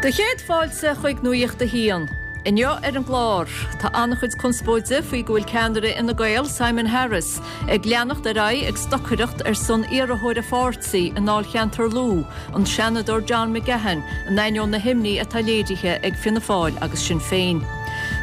Do chéad fáilte chuig Nuacht a hAon. Inniu ar an gclár, tá an-chuid conspóide faoi go bhfuil ceannaire Fhine Gael, Simon Harris, ag leanacht ar aghaidh ag stocaireacht ar son iarrthóir a pháirtí i ndáilcheantar Lú, an Seanadóir John McGahon, in ainneoin na himní atá léirithe ag Fianna Fáil agus Sinn Féin.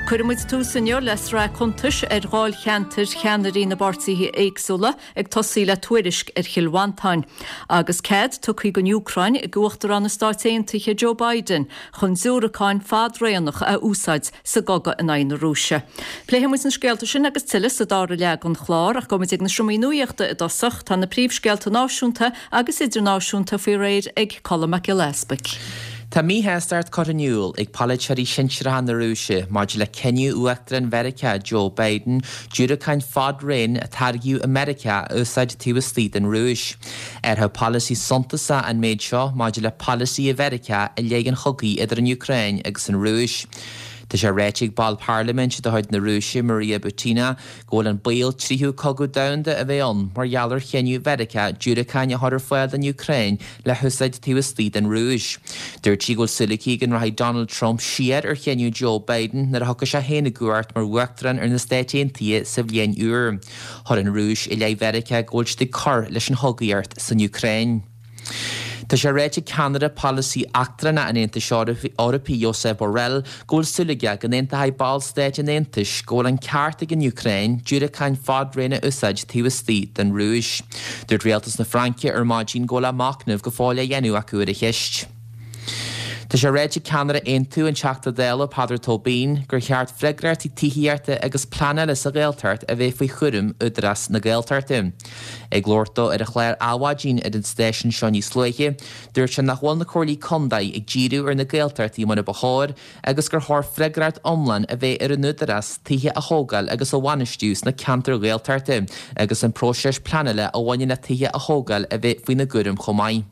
Cuirfidh muid tús inniu le sraith cuntais ar dháilcheantair cheannairí na bpáirtithe éagsúla, ag tosaí le tuairisc ar Chill Mhantáin, agus cead tugtha don Úcráin ag Uachtarán na Stáit Aontaithe Joe Biden chun diúracáin fad-raonach a úsáid sa gcogadh in aghaidh na Rúise. Pléifidh muid na scéalta sin agus tuilleadh sa dara leath den chlár, ach gabhfaidh muid ag na seomraí nuachta i dtosach. Tá na príomhscéalta náisiúnta agus idirnáisiúnta faoi réir ag Colm Mac Giolla Easpaig. Tá míshástacht curtha in iúl ag polaiteoirí sinsearacha na Rúise maidir le cinneadh Uachtarán Mheiriceá Joe Biden diúracáin fad-raoin a táirgeadh i Meiriceá a úsáid taobh istigh den Rúis. Athrú polasaí suntasach an méid seo maidir le polasaithe Mheiriceá i leith an chogaidh idir an Úcráin agus an Rúis. Tá sé ráite ag ball parlaiminte de chuid na Rúise Maria Butina go bhfuil an baol tríú cogadh domhanda a bheith ann mar gheall ar chinneadh Mheiriceá diúracáin a chur ar fáil don Úcráin le húsáid taobh istigh den Rúis. Dúirt sí go bhfuil súil aici go rachaidh Donald Trump siar ar chinneadh Joe Biden nuair a thiocfaidh sé féin i gcumhacht mar Uachtarán ar na Stáit Aontaithe sa bhliain úr. Chuir an Rúis i leith Mheiriceá go bhfuil siad ag cur leis an chogaíocht san Úcráin. Tá sé ráite ag ceannaire polasaí eachtrannach an Aontais Eorpaigh Josep Borrell go bhfuil súil aige go n-aontóidh ballstáit an Aontais go bhfuil an ceart ag an Úcráin diúracáin fad-raoin a úsáid taobh istigh den Rúis. Dúirt rialtas na Fraince ar maidin go bhfuil machnamh go fóill á dhéanamh acu ar an cheist. Tá sé ráite ag ceannaire Aontú, an Teachta Dála Peadar Tóibín, gur cheart freagrachtaí tithíochta agus pleanála sa Ghaeltacht a bheith faoi chúram Údarás na Gaeltachta. Ag labhairt dó ar an chlár Adhmhaidin ar an stáisiún seo níos luaithe, dúirt sé nach bhfuil na Comhairlí Contae ag díriú ar na Gaeltachtaí mar a ba chóir agus gur chóir freagracht iomlán a bheith ar an Údarás tithe a thógáil agus a bhainistiú sna ceantair Ghaeltachta agus an próiseas pleanála a bhaineann le tithe a thógáil a bheith faoina gcúram chomh maith.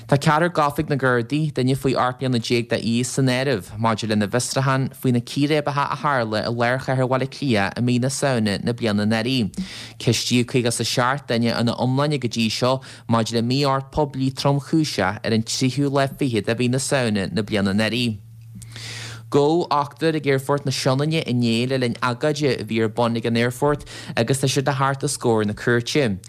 Tá ceathrar gafa ag na Gardaí, duine faoi 18 mbliana d'aois san áireamh, maidir lena bhfiosrúchán faoi na círéibeacha a tharla i lár chathair Bhaile Átha Cliath i mí na Samhna na bliana anuraidh. Ceistíodh 57 duine ina iomláine go dtí seo maidir le mí-ord poiblí tromchúiseach ar an tríú lá fichead de mhí na Samhna na bliana anuraidh. Gabhadh ochtar ag Aerfort na Sionainne inné le linn agóide a bhí ar bun ag an aerfort agus tá siad le theacht os comhair na cúirte.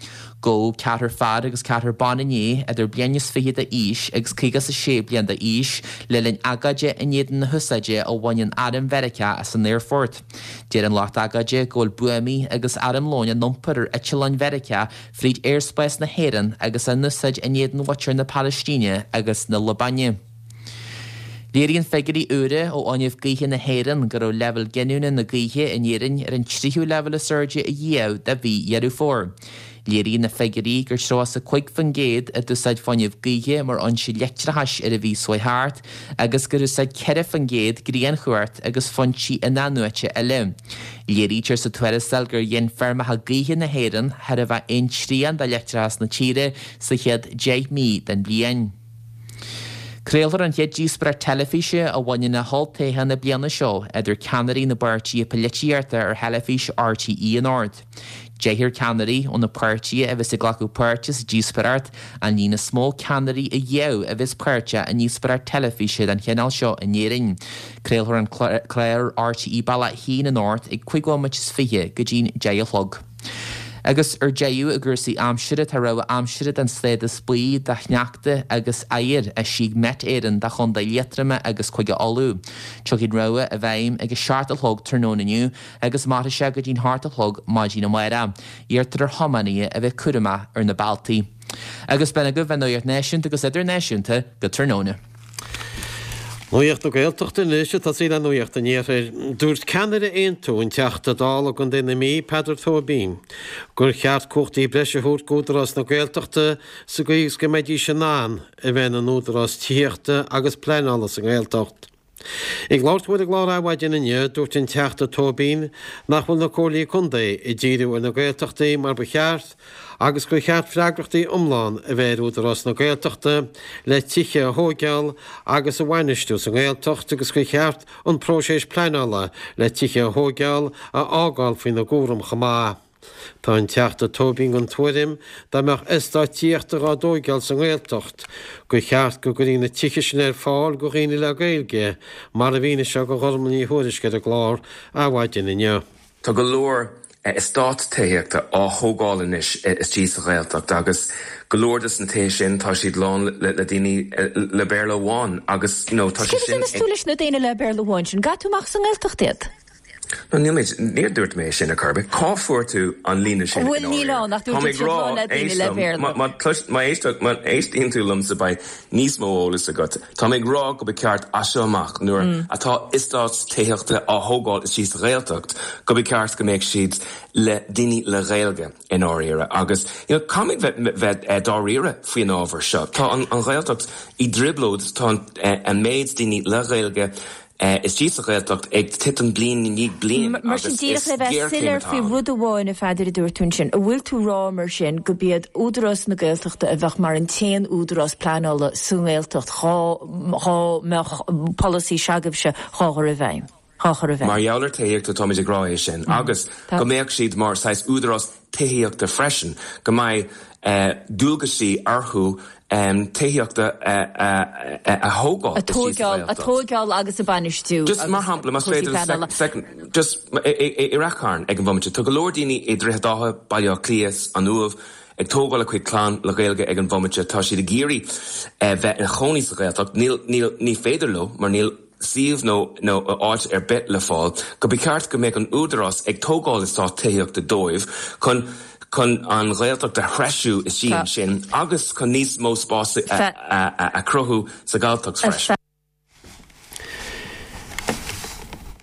Gabhadh ceathrar fear agus ceathrar ban inné idir bliain is fiche d'aois agus 56 bliain d'aois le linn agóide in éadan na húsáide a bhaineann Arm Mheiriceá as an aerfort. Deir an lucht agóide go bhfuil buamaí agus armlóin á n-iompar ar eitleáin Mheiriceá fríd aerspás na hÉireann agus á n-úsáid in éadan mhuintir na Palaistíne agus na Liobáine. Léiríonn figiúirí úra ó Fhuinneamh Gaoithe na hÉireann go raibh leibhéal giniúna na gaoithe in Éirinn ar an tríú leibhéal is airde ariamh do mhí Dheireadh Fómhair. Léiríonn na figiúirí gur 35% a d'úsáid fuinneamh gaoithe mar fhoinse leictreachais ar an mhí seo chuaigh thart agus gur úsáid 4% grianchumhacht agus foinsí in-athnuaite eile. Léirítear sa tuarascáil gur ghin feirmeacha gaoithe na héireann chóir a bheith aon trian de leictreachas na tíre sa chéad 10 mí den bhliain. Craolfar an chéad díospóireacht teilifíse a bhaineann le holltoghchán na bliana seo idir ceannairí na bpáirtithe polaitíochta ar theilifís RTÉ anocht. Deichniúr ceannairí ó na páirtithe a bheas ag glacadh páirte sa díospóireacht, an líon is mó ceannairí ariamh a bheas páirteach i ndíospóireacht teilifíse den chineál seo in Éirinn. Craolfar an clár ar RTÉ Bealach 1 anocht ag 25 bhomaite go dtí'n 10 a chlog. Agus ar deireadh i gcúrsaí aimsire, tá rabhadh aimsire den stádas buí do shneachta agus oighear eisithe ag Met Éireann do Chontae Liatroma agus Cúige Uladh. Tiocfaidh an rabhadh i bhfeidhm ag a 7 a chlog tráthnóna inniu agus mairfidh sé go dtí'n hocht a chlog maidin amárach. Iarrtar ar thiománaithe a bheith cúramach ar na bealtaí. Agus b'in agaibh an nuacht náisiúnta agus idirnáisiúnta go tráthnóna. Nuacht na Gaeltachta anois ag tosaí le Nuacht an Iarthair. Dúirt ceannaire Aontú, an Teachta Dála i gContae na Mí, Peadar Tóibín, gur cheart cumhachtaí breise a thabhairt d'Údarás na Gaeltachta sa gcaoi is go mbeidís in ann a bheith ina n-údarás tithíochta agus pleanála sa nGaeltacht. Ag labhairt dó ar an gclár Adhmhaidin inniu, dúirt an Teachta Tóibín nach bhfuil na Comhairlí Contae ag díriú ar na Gaeltachtaí mar ba cheart agus gur cheart freagrachtaí iomlán a bheith ar Údarás na Gaeltachta le tithe a thóigeáil agus a bhainistiú sa nGaeltacht agus gur cheart an próiseas pleanála le tithe a thóigeáil a fhágáil faoina gcúram chomh maith. Tá an Teachta Tóibín den tuairim dá mbeadh eastáit tithíochta dhá dtóigeáil sa nGaeltacht, gur cheart go gcuirfí na tithe sin ar fáil go dhaoine le Gaeilge, mar a mhínigh sé go Ghormlaith Ní Thuairisg ar an gclár Adhmhaidin inniu. Tá go leor eastát tithíochta á thógáil anois istigh sa Ghaeltacht agus go leor de na tithe sin tá siad lán le daoine le Béarla amháin agus you know tá sé Céard a sin dhéanfas tú leis na daoine le Béarla amháin sin? Gcaithfidh tú amach as an nGaeltacht iad? No níl mé, níor dúirt mé sin ar chor ar bith. Cá fuair tú an líne sin i Bhuel níl ndáiríre? ann ach Tá dúirt mé ag siad rá, lán le daoine éist le liom, Béarla. má, má, má éist, má éistíonn tú liomsa beidh níos mó eolais agat. Tá mé ag rá go ba ceart as seo amach nuair atá eastát tithíochta á thógáil istigh sa Ghaeltacht go ba ceart go mbeadh siad le daoine le Gaeilge i ndáiríre agus you know caithfimid bheith bheith dáiríre faoin ábhar seo. Tá an an Ghaeltacht i dtrioblóid, tá an an méid daoine le Gaeilge istigh sa Ghaeltacht ag titim bliain i ndiaidh bliain Mar sin agus díreach is le bheith géarchéim soiléir atá faoi ann. rud amháin, a Pheadair, a dúirt tú ansin, an bhfuil tú rá mar sin go b'iad Údarás na Gaeltachta a bheadh mar an t-aon údarás pleanála sa nGaeltacht dhá dhá mbeadh polasaí se'agaibhse dhá chur i bhfeidhm? Dhá chur i bhfeidhm. Mar gheall ar tithíochta táimid ag rá é sin agus go mbeadh siad mar saghas údarás tithíochta freisin, go mbeidh dualgaisí orthu tithíochta a thógáil A tóigeáil, a tóigeáil agus a bainistiú Just mar shampla, más féidir le second, just i Rath Chairn ag an bhomaite, tá go leor daoine i Droichead Átha, Baile Átha Cliath, an Uaimh, ag tógáil a cuid clann le Gaeilge ag an bhomaite, tá siad ag iarraidh bheith ina chónaí sa Ghaeltacht, níl, níl, ní féidir leo mar níl suíomh nó nó áit ar bith le fáil, go ba cheart go mbeadh an údarás ag tógáil eastát tithíochta dóibh chun chun an Ghaeltacht a threisiú istigh ansin agus chun níos mó spás a chruthú sa Ghalltacht freisin.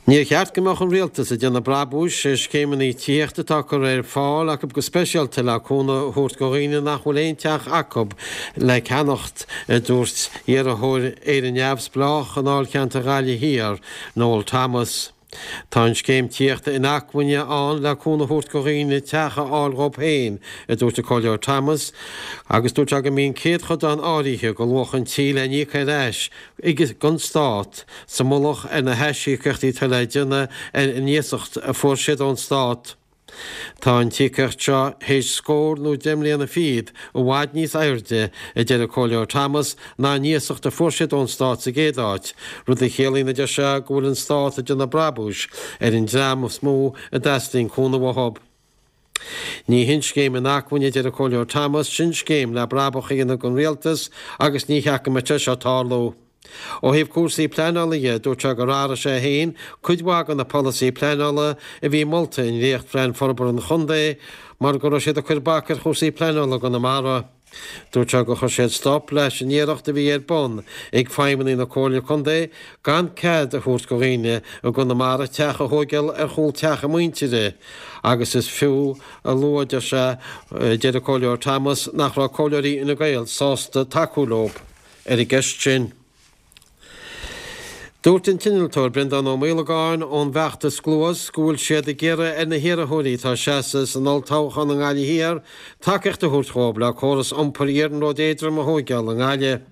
Níor cheart go mbeadh an Rialtas ag déanamh brabúis ar scéimeanna tithíochta atá curtha ar fáil acu go speisialta le cúnamh a thabhairt do dhaoine nach bhfuil aon teach acu le ceannacht, a dúirt iarrthóir Éire Neamhspleách i ndáilcheantar Ghaillimh Thiar, Noel Thomas. Tá an scéim tithíochta inacmhainne ann le cúnamh a thabhairt do dhaoine teach a fháil dhóibh féin, a dúirt an Comhairleoir Thomas, agus dúirt sé go mbíonn céadchodán áirithe de luach an tí le n-íoc ar ais ag an Stát sa mullach ar na haisíocaíochtaí atá le déanamh ar an iasacht a fuair siad ón Stát. Tá an t-íocaíocht seo théis scór nó 10 mbliana fichead i bhfad níos airde, a deir an Comhairleoir Thomas, ná an iasacht a fuair siad ón Stát sa gcéad áit, rud a chiallaíonn, a deir sé, go bhfuil an Stát ag déanamh brabúis ar an dream is mó a dteastaíonn cúnamh uathu. Ní hin scéim inacmhainne, a deir an Comhairleoir Thomas, sin scéim le brabach a dhéanamh don Rialtas agus ní cheart go mbeadh sé seo ag tarlú. Ó thaobh cúrsaí pleanála dhe, dúirt sé gur athraigh sé féin cuid mhaith de na polasaí pleanála a bhí molta i ndréachtphlean forbartha an chontae mar go raibh siad ag cur bac ar chúrsaí pleanála i gConamara. Dúirt sé gur chuir siad stop leis an iarracht a bhí ar bun ag feidhmeannaigh na Comhairle Contae gan cead a thabhairt do dhaoine i gConamara teach a thóigeáil ar chúl teach a muintire agus is fiú a lua, deir sé, deir an Comhairleoir Thomas, nach raibh comhairleoirí Fhine Gael sásta tacú leo ar an gceist sin. Dúirt an t-innealtóir Breandán Ó Maolagáin ón bhfeachtas Cluas go bhfuil siad ag iarraidh ar na hiarrthóirí atá ag seasamh san olltoghchán i nGaillimh Thiar tacaíocht a thabhairt dhóibh le córas iompair iarnróid éadrom a thóigeáil i nGaillimh.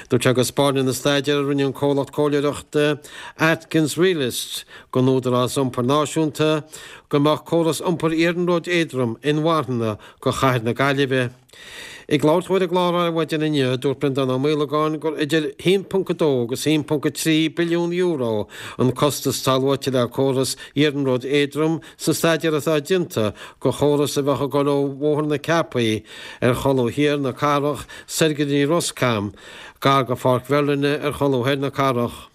Dúirt sé go 'spáineann an staidéar a rinne an comhlacht comhairleoireachta Atkins Realist don Údarás Iompair Náisiúnta go mbeadh córas iompair iarnróid éadrom inmharthana do chathair na Gaillimhe. Ag labhairt dó ar an gclár Adhmhaidin inniu, dúirt Breandán Ó Maolagáin gur idir 1.2 agus 1.3 billiún euro an costas atá luaite le córas iarnróid éadrom sa staidéar atá déanta do chóras a bheadh ag dul ó Bhóthar na Ceapaí ar cholbha thiar na cathrach soir go dtí Ros Cam, gar do Pháirc Mherlyn ar cholbha thoir na cathrach.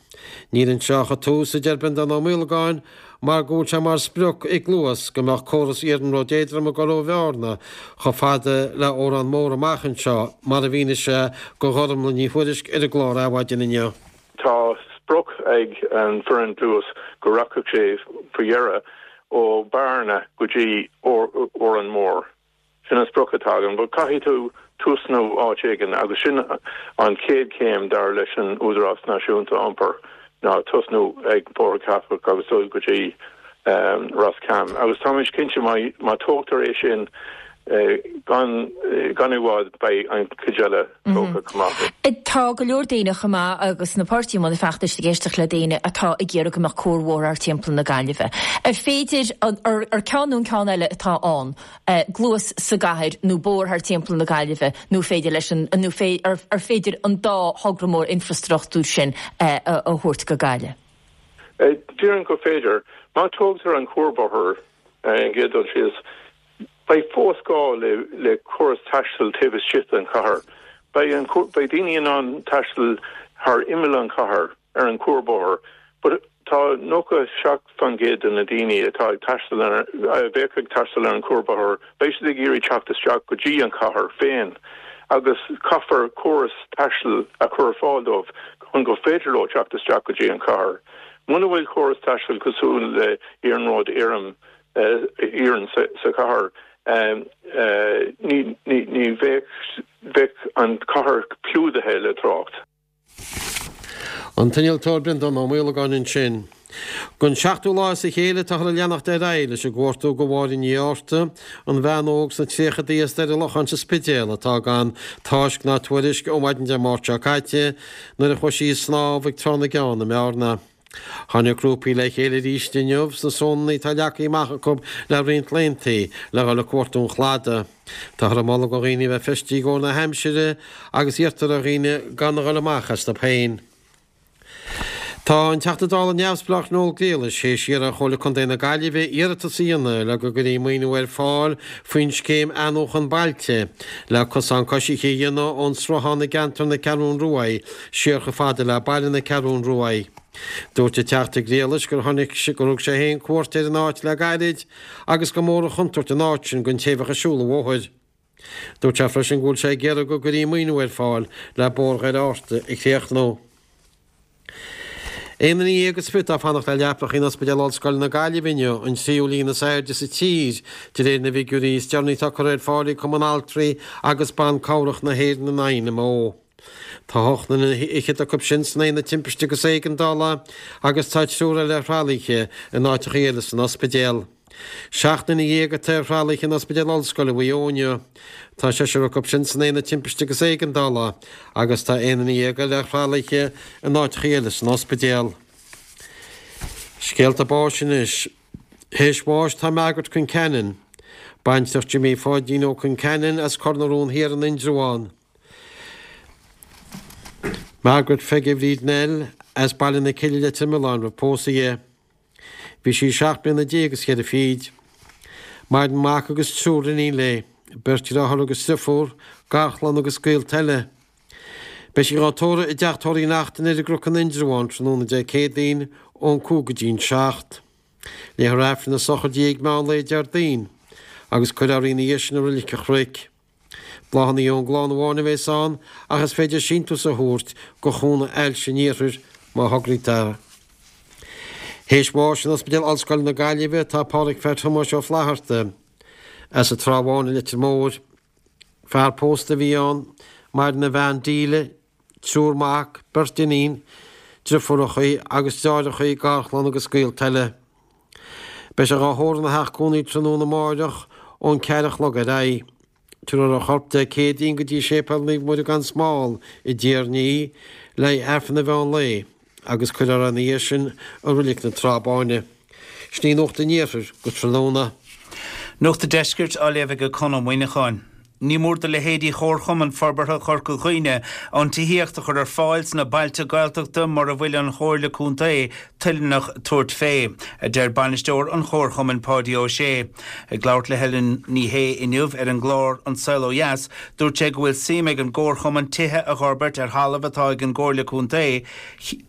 Níl anseo ach an tús, a deir Breandán Ó Maolagáin, mar go bhfuil sé mar sprioc ag Luas go mbeadh córas iarnróid éadrom ag dul ó Bhearna chomh fada le Órán Mór amach anseo, mar a mhínigh sé do Ghormlaith Ní Thuairisg ar an gclár Adhmhaidin inniu. Tá sprioc ag an bhfoireann Luas go rachadh sé faoi dheireadh ó Bhearna go dtí Órán Mór. Sin an sprioc atá againn, but caithfidh tú tosnú áit éigin agus sin an chéad chéim dar leis an Údarás Náisiúnta Iompair ná tosnú ag Bóthar Ceapach agus dul go dtí Ros Cam. Agus táimid cinnte má tógtar é sin. Gan gan i bhfad beidh an chuid eile tógtha chomh maith. Tá go leor daoine chomh maith agus na páirtithe i mbun feachtais ag éisteacht le daoine atá ag iarraidh go mbeadh cuarbhóthar thart timpeall na Gaillimhe. Ar féidir, ar ceann nó an ceann eile atá ann, gluas sa gcathair nó bóthar thart timpeall na Gaillimhe nó féidir leis an, nó ar féidir an dá thogra mór infrastruchtúir sin a thabhairt go Gaillimh? Déarfainn gur féidir. Má tógtar an cuarbhóthar ar an gcéad dul síos, Beidh fós gá le córas taistil taobh istigh den chathair. Beidh an, beidh daoine in ann taisteal thar imeall an chathair ar an cuarbhóthar but tá 97% de na daoine atá ag taisteal ar, a bheadh ag taisteal ar an cuarbhóthar, beidh siad ag iarraidh teacht isteach go dtí an chathair féin agus caithfear córas taistil a chur ar fáil dóibh chun gur féidir leo teacht isteach go dtí an chathair. Muna bhfuil córas taistil cosúil le Iarnród Éireann iarainn sa chathair, ní bheadh an chathair clúdaithe le trácht. An t-innealtóir Breandán Ó Maolagáin ansin. Don seachtú lá as a chéile táthar ag leanacht ar aghaidh leis an gcuartú do Mháire Ní Fhátharta, an bhean óg sna tríochadaí as Doire Locháin sa Spidéal atá gan tásc ná tuairisc ó mhaidin Dé Máirt seo caite nuair a chuaigh sí ag snámh ag Trá na gCeann i mBearna. Tháinig grúpaí le chéile arís inniu sna sónanna atá leagtha amach acu le roinnt laethanta le dhul ag cuartú an chladaigh. Táthar ag moladh do dhaoine a bheith feistithe i gcomhair na haimsire agus iarrtar ar dhaoine gan a dhul amach astu féin. Tá an Teachta Dála neamhspleách Noel Grealish théis iarraidh ar Chomhairle Contae na Gaillimhe iarratas a dhéanamh le go gcuirfí maoiniú ar fáil faoin scéim Athnuachan Bailte le cosán coisithe a dhéanamh ón sruthán i gceantar na Ceathrún Ruaidh siar chomh fada le baile na Ceathrún Ruaidh. Dúirt an Teachta Grealish gur tháinig gur thug sé féin cuairt ar an áit le gairid agus gur mór an chontúirt an áit sin don té a bheadh ag siúl an bhóthair. Dúirt sé freisin go bhfuil sé ag iarraidh go gcuirfí maoiniú ar fáil le Bóthar Dhoire Fhatharta a chríochnú. Aon duine dhéag is fiche atá ag fanacht le leapacha in Ospidéal Ollscoile na Gaillimhe inniu, an tríú líon is airde sa tír, de réir na bhfigiúirí is deireanaí atá curtha ar fáil ag Cumann Altraí agus Ban Cabhrach na hÉireann, an INMO. Tá hocht nduine fhichead acu sin san aonad timpiste agus éigeandála agus tá triúr eile ar thralaithe in áiteacha eile san ospidéal. Seacht nduine dhéag atá ar thralaithe in Ospidéal Ollscoile Mhaigh Eo inniu. Tá seisear acu sin san aonad timpiste agus éigeandála agus tá aon duine dhéag eile ar thralaithe in áiteacha eile san ospidéal. Scéalta báis anois. Théis bháis tá Margaret Concannon, baintreach Jimmy Pháidín Ó Concannon as Cor na Rón Thiar in Indreabhán. Margaret Pheige Bhríd Nell as Baile na Cille Leitir Mealláin roimh pósadh di. Bhí sí seacht mbliana déag is cheithre fichid. Maireann mac agus triúr iníon léi, beirt dheartháir agus driofúr, garchlann agus gaolta eile. Beidh sí dhá tórramh i dTeach Tórraimh Uí Neachtain ar an gCnoc in Indreabhán tráthnóna Dé Céadaoin ón 5 go dtí'n 7. Léifear Aifreann na sochraide di ag meán lae Déardaoin agus cuirfear í ina dhiaidh sin i Roilig an Chnoic. Bláthanna ón gclann amháin a bheas ann ach is féidir síntiús a thabhairt go Chúnamh Ailse an Iarthair má thograítear. Théis bháis in Ospidéal Ollscoile na Gaillimhe tá Pádhraic Pheait Thomáis Ó Flatharta as an Trá Bháin i Leitir Móir. Fear pósta a bhí ann, maireann a bhean Delia, triúr mac, beirt iníon, driofúrachaí agus deartháireachaí, garchlann agus gaolta eile. Beidh sé dhá thórramh ina theach cónaí tráthnóna amáireach ón ceathair a chlog ar aghaidh. Tabharfar a chorp Dé Céadaoin go dtí Séipéal Naomh Muire gan Smál i dTír an Fhia le haghaidh Aifreann an mheán lae agus cuirfear é ina dhiaidh sin i Roilig na Trá Báine. Sin í Nuacht an Iarthair go tráthnóna. Nuacht an Deiscirt á léamh ag Conn Ó Muíneacháin. Ní mór do leithéidí Chomharchumann Forbartha Chorca Dhuibhne an tithíocht a chur ar fáil sna bailte Gaeltachta mura bhfuil an Chomhairle Contae toilteanach tabhairt fé, a deir bainisteoir an Chomharchumainn Páidí Ó Sé. Ag labhairt le Helen Ní Shé inniu ar an gclár An Saol Ó Dheas, dúirt sé go bhfuil suim ag an gComharchumann tithe a dh'fhorbairt ar thalamh atá ag an gComhairle Contae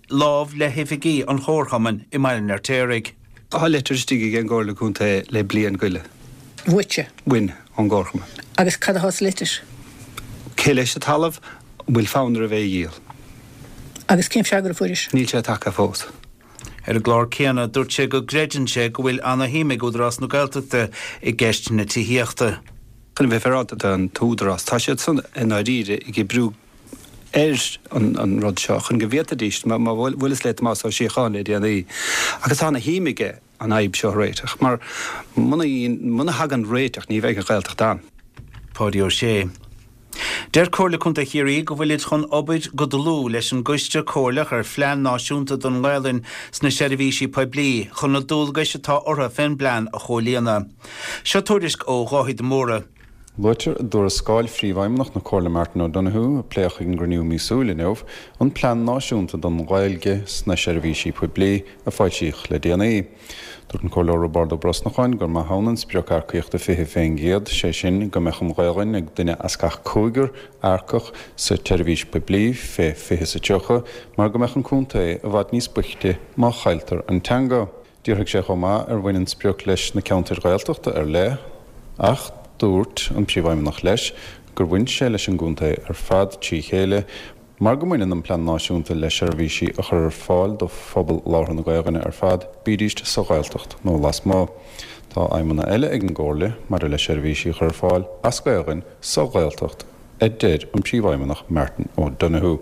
lámh le hoifigí an Chomharchumainn i mBaile an Fheirtéaraigh. Tá leitir istigh ag an gComhairle Contae le bliain go leith. Uaitse? Uainn, ón gComharchumann. Agus cad atá sa litir? Cé leis an talamh? An bhfuil fonn oraibh é a dhíol? Agus cén freagra a fuairis? Níl sé tagtha fós. Ar an gclár céanna, dúirt sé go gcreideann sé go bhfuil ana-shuim ag Údarás na Gaeltachta i gceist na tithíochta. Chun a bheith féaráilte don t-údarás, tá siad san i ndáiríre ag oibriú ar an rud seo chun go bhféadfaidís, mar bhuaileas le Tomás Ó Síocháin le déanaí, agus tá ana shuim aige an fhadhb seo a réiteach, mar muna thagann réiteach ní bheidh an Ghaeltacht ann. Páidí Ó Sé. Deir Comhairle Contae Chiarraí go bhfuilid chun obair go dlúth leis an gCoiste Comhairleach ar Phlean Náisiúnta don nGaelainn sna Seirbhísí Poiblí chun na dualgais atá orthu fén bplean a chomhlíonadh. Seo tuairisc ó Dháithí de Mórdha. Luaitear i dtuarascáil Phríomhfheidhmeannach na Comhairle Martin O'Donoghue, a pléadh ag an gcruinniú míosúil inniu, an Plean Náisiúnta don Ghaeilge sna Seirbhísí Poiblí a foilsíodh le déanaí. Dúirt an Comhairleoir Roibeárd Ó Brosnacháin gur maith ann an sprioc earcaíochta 20%, sé sin go mbeadh an Ghaelainn ag duine as gach cúigear earcach sa tseirbhís poiblí fé 2030 mar go mbeadh an contae i bhfad níos boichte má chailltear an teanga. D'fhiafraigh sé chomh maith ar bhain an sprioc leis na ceantair Ghaeltachta ar leith ach dúirt an Príomhfheidhmeannach leis gur bhain sé leis an gcontae ar fad trí chéile mar go mbaineann an Plean Náisiúnta le seirbhísí a chur ar fáil do phobal labhartha na Gaelainne ar fad, bídíst sa Ghaeltacht nó lasmuigh. Tá aidhmeanna eile ag an gComhairle maidir le seirbhísí a chur ar fáil as Gaelainn sa Ghaeltacht, a deir an Príomhfheidhmeannach Martin O'Donoghue.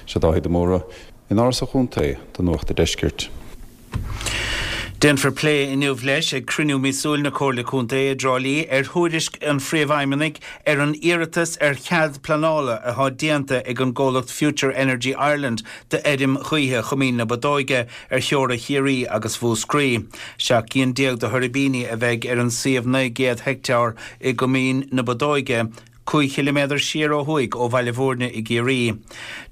Seo Dáithí de Mórdha in Áras an Chontae do Nuacht a' Deiscirt. Déanfar plé inniu leis ag cruinniú míosúil na Comhairle Contae i dTrá Lí ar thuairisc an Phríomhfheidhmeannaigh ar an iarratas ar chead pleanála atá déanta ag an gcomhlacht Future Energy Ireland d'fheirm ghaoithe Choimín na Bodóige ar theora Chiarraí agus Mhúscraí. 17 gcinn de thuirbíní a bheidh ar an suíomh 900 heicteár i gCoimín na Bodóige, 5 chiliméadar siar ó thuaidh ó Bhaile Bhúirne i gCiarraí.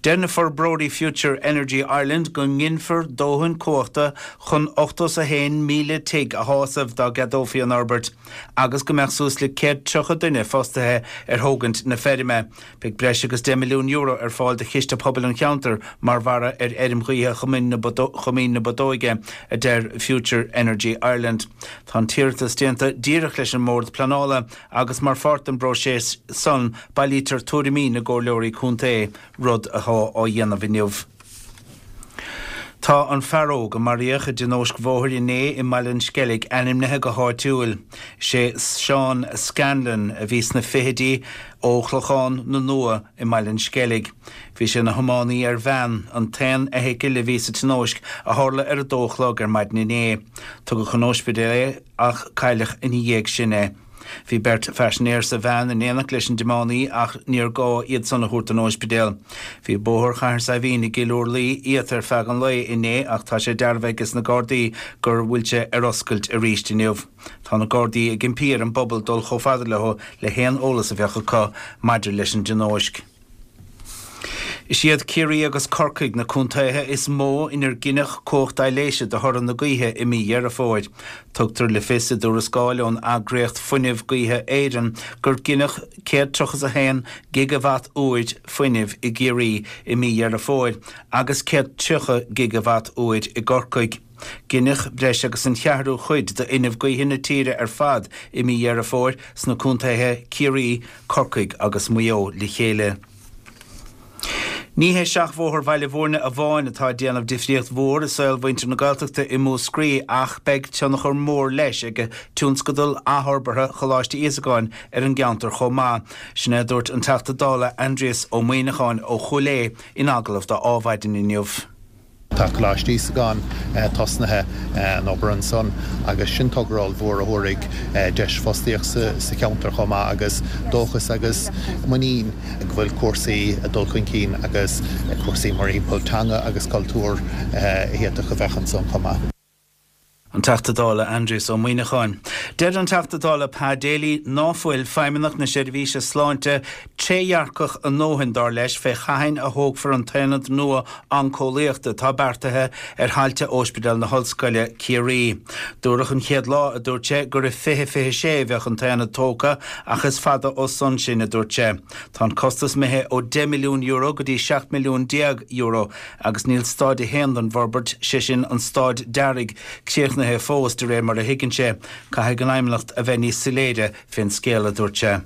Deir na forbróirí Future Energy Ireland go nginfear dóthain cumhachta chun 81,000 tigh a shásamh dá gceadófaí an fhorbairt agus go mbeadh suas le 130 duine fostaithe ar thógaint na feirme. Beidh breis agus €10 milliún ar fáil do Chiste Pobail an cheantair mar bharra ar fheirm ghaoithe Choimín na Bodóige, a deir Future Energy Ireland. Tá an t-iarratas déanta díreach leis an mBord Pleanála agus mar pháirt den bpróiseas san bailítear tuairimí na gcomhairleoirí contae, rud atá á dhéanamh inniu. Tá an fear óg a maraíodh i dtionóisc bhóthair inné i mBaile an Sceilg ainmnithe go háitiúil. Is é Seán Scanlon a bhí sna fichidí ó Chlochán na Nua i mBaile an Sceilg. Bhí sé ina thiománaí ar veain, an t-aon fheithicil a bhí sa tionóisc a tharla ar a dó a chlog ar maidin inné. Tugadh chun ospidéil é ach cailleadh ina dhiaidh sin é. Bhí beirt phaisinéir sa veain in éineacht leis an dtiománaí ach níor gá iad san a thabhairt don óispidéal. Bhí Bóthar Chathair Saidhbhín i gCill Úrlaí iata ar feadh an lae inné ach tá sé dearbhaithe ages na Gardaí gur bhfuil sé ar oscailt arís inniu. Tá na Gardaí ag impí ar an bpobal dul chomh fada leo le haon eolas a bheadh acu maidir leis an dtionóisc. Is iad Ciarraí agus Corcaigh na contaetha is mó inar gineadh cumhacht aibhléise de thoradh na gaoithe i mí Dheireadh Fómhair. Tugtar le fios i dtuarascáil ón eagraíocht Fuinneamh Gaoithe Éireann gur gineadh 131 gigeawatt uair fuinnimh i gCiarraí i mí Dheireadh Fómhair agus 130 gigeawatt uair i gCorcaigh. Gineadh breis agus an cheathrú cuid d'fhuinneamh gaoithe na tíre ar fad i mí Dheireadh Fómhair sna contaetha Ciarraí, Corcaigh agus Maigh Eo le chéile. Ní hé seachbhóthar Bhaile Bhúirne amháin atá ag déanamh difríocht mhór i saol mhuintir na Gaeltachta i Múscraí ach beidh tionchar mór leis ag tionscadal athfhorbartha Choláiste Íosagáin ar an gceantar chomh maith. Sin é a dúirt an Teachta Dála Aindrias Ó Muimhneacháin ó Chúil Aodha in agallamh do Adhmhaidin inniu. Tá Coláiste Íosagáin tosnaithe, an obair ansan, agus sin togra ollmhór a thabharfaidh deis fostaíocht sa cheantar chomh maith agus dóchas agus muinín go bhfuil cúrsaí ag dul chun cinn agus cúrsaí mórthimpeall teanga agus cultúr a d'fhéadfadh a bheith ansan chomh maith. An Teachta Dála Aindrias Ó Muimhneacháin. Deir an Teachta Dála Pa Daly ná fuil Feidhmeannacht na Seirbhíse Sláinte trédhearcach a ndóthain, dar leis, fé cathain a thógfar an t-aonad nua oncólaíochta atá beartaithe ar thailte Ospidéal na hOllscoile, Ciarraí. Dúradh an chéad lá, a dúirt sé, gur i 2026 a bheadh an t-aonad tógtha ach is fada ó san sin, a dúirt sé. Tá an costas imithe ó €10 milliún go dtí €17 milliún. Agus níl stáid a haon den bhforbairt, sé sin an stáid dearaidh, críochnaithe fós, de réir mar a thuigeann sé. Caithfidh an Fheidhmeannacht a bheith níos soiléire fén scéal, a dúirt sé.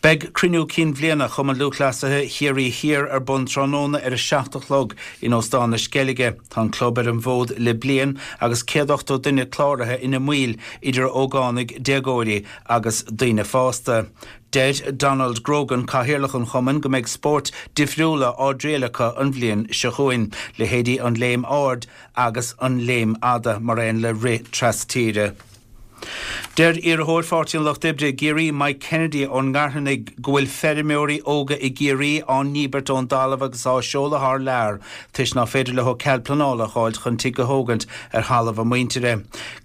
Beidh cruinniú cinn bhliana Chumann Lúthchleasaithe Chiarraí Thiar ar bun tráthnóna ar a 7 a chlog in Óstán na Sceilge. Tá an club ar an bhfód le bliain agus 180 duine cláraithe ina mbaill, idir ógánaigh, déagóirí agus daoine fásta. Deir Donald Grogan, Cathaoirleach an chumainn, go mbeidh spóirt difriúla á dtriail acu an bhliain seo chugainn, leithéidí an léim ard agus an léim fhada, mar aon le rith tras-tíre. Deir iarrthóir Pháirtí an Lucht Oibre i gCiarraí, Mike Kennedy ón nGairfeanaigh, go bhfuil feirmeoirí óga i gCiarraí á ndíbirt ón dtalamh agus á seoladh thar lear toisc ná féidir leo cead pleanála a dh'fháilt chun tigh a thógaint ar thalamh a muintire.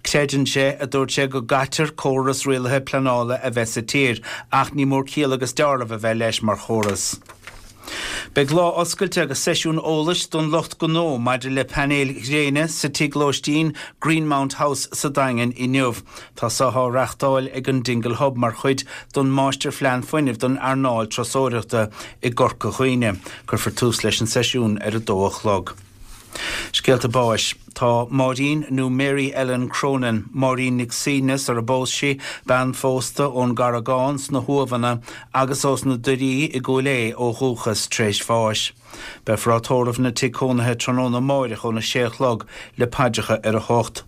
Creideann sé, a dúirt sé, go gcaitear córas rialaithe pleanála a bheith sa tír ach ní mór ciall agus deáramh a bheith leis mar chóras. Beidh lá oscailte agus seisiún eolais don lucht gnó maidir le painéil ghréine sa tigh lóistín Greenmount House sa Daingean inniu. Tá seo á reachtáil ag an Dingle Hub mar chuid don Máistirphlean Fuinnimh don earnáil turasóireachta i gCorca Dhuibhne. Cuirfear tús leis an seisiún ar a dó a chlog. Scéalta báis. Tá Máirín nó Mary Ellen Cronin, Máirín Nic Suibhne sar a bpós sí, bean phósta ón gCarragán sna hUamhanna agus ós na Doirí i gCúil Aodha ó dhúchas, tar éis bháis. Beifear á tórramh ina tigh cónaithe tráthnóna amáireach óna sé a chlog le paidreacha ar a hocht.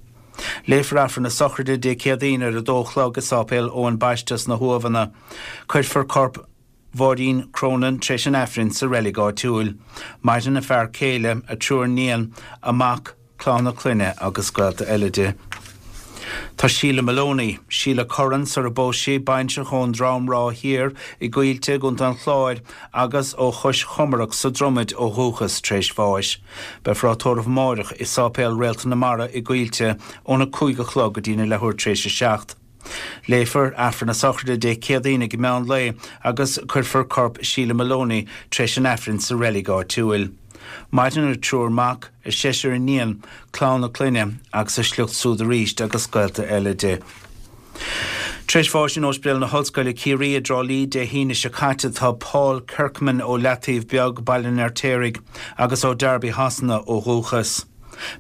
Léifear Aifreann na sochraide Dé Céadaoin ar a dó a chlog i Sáipéal Eoin Baiste sna hUamhanna. Cuirfear corp. Mháirín Cronin tar éis an Aifrinn sa reilig áitiúil. Maireann a fear céile, a triúr níon, a mac, clann a clainne agus gaolta eile di. Tá Sheila Maloney, Sheila Curran sar a bpós sí, baintreach ón Drom Ráth Thiar i gCoillte i gContae an Chláir agus ó Chois Chomarac sa Dromaid ó dhúchas, tar éis bháis. Beifear á tórramh amáireach i Sáipéal Réalta na Mara i gCoillte óna 5 a chlog go dtína leathuair tar éis a 7. Léifear Aifreann na sochraide Dé Céadaoin ag meán lae agus cuirfear corp Sheila Maloney tar éis an Aifrinn sa reilig áitiúil. Maireann a triúr mac, a seisear iníon, clann a clainne agus a sliocht súd arís agus gaolta eile di. Tar éis bháis in Ospidéal na hOllscoile Ciarraí i dTrá Lí Dé hAoine seo caite tá Paul Kirkman ó Leataobh Beag, Baile an Fheirtéaraigh, agus ó Derby Shasana ó dhúchas.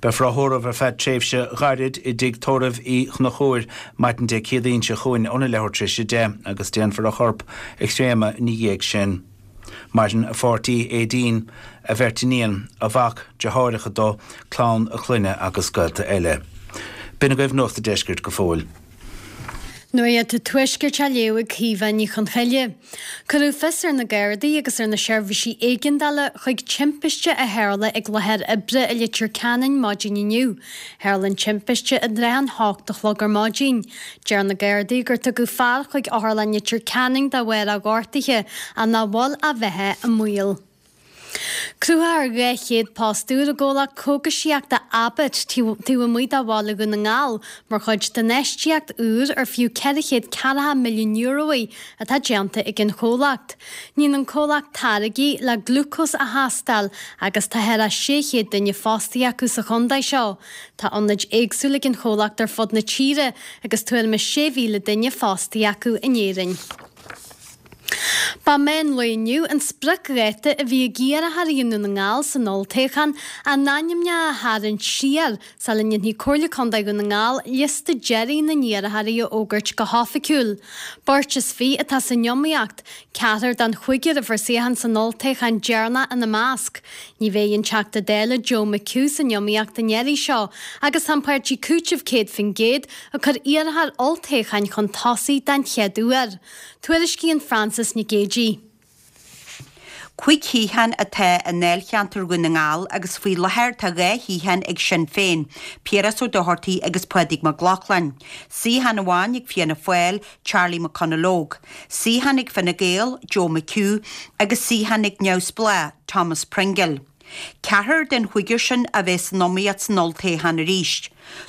Beifear á thórramh ar feadh tréimhse ghairid i dTigh Tórraimh Uí Chonchúir maidin Dé Céadaoin seo chugainn óna leathuair tar éis 10 agus déanfar a chorp a chréamadh ina dhiaidh sin. Maireann a pháirtí Aedín, a bheirt iníon, a mhac, deartháireacha dó, clann a clainne agus gaolta eile. B'in agaibh Nuacht an Deiscirt go fóill. Nuacht an Tuaiscirt á léamh ag Caoimhe Ní Chonchoille. Cuireadh fios ar na Gardaí agus ar na seirbhísí éigeandála chuig timpiste a tharla ag láthair oibre i Leitir Ceanainn maidin inniu. Tharla an timpiste i dtrátha an hocht a chlog ar maidin. Deir na Gardaí gur tugadh fear chuig Otharlann Leitir Ceanainn de bharr a ghortaithe ach nach bhfuil a bheatha i mbaol. Cruthófar 200 post úr i gcomhlacht cógaisíochta Abbott taobh amuigh de bhaile Dhún na nGall mar chuid d'infheistíocht úr ar fiú €440 milliún í atá déanta ag an chomhlacht. Níonn an comhlacht táirgí le glúcós a thástáil agus tá thar 600 duine fostaithe acu sa chontae seo. Tá ionaid éagsúla ag an chomhlacht ar fud na tíre agus tuairim is 6,000 duine fostaithe acu in Éirinn. Ba meán lae inniu an spriocdháta a bhí ag iarrthóirí i nDún na nGall san olltoghchán a n-ainmneacha a tharraingt siar sula ndéanfaidh Comhairle Contae Dhún na nGall liosta deiridh na n-iarrthóirí a fhógairt go hoifigiúil. Beirt is fiche atá san iomaíocht, ceathrar den chúigear a fuair suíochán san olltoghchán deireanach ina measc. Ní bheidh an Teachta Dála Joe McHugh san iomaíocht an iarraidh seo agus tá an páirtí Cúiteamh 100% ag cur iarrthóir olltoghcháin chun tosaigh den chéad uair. Tuairiscíonn Frances Nic Géadaigh. Cuig shuíochán atá i ndáilcheantar Dhún na nGall agus faoi láthair tá 2 shuíochán ag Sinn Féin, Piaras Ó Dochartaigh agus Pádraig Mac Lochlainn. Suíochán amháin ag Fianna Fáil, Charlie McConalogue. Suíochán ag Fine Gael, Joe McHugh, agus suíochán ag Neamhspleách, Thomas Pringle. Ceathrar den chúigear sin a bheas san iomaíocht san olltoghchán arís.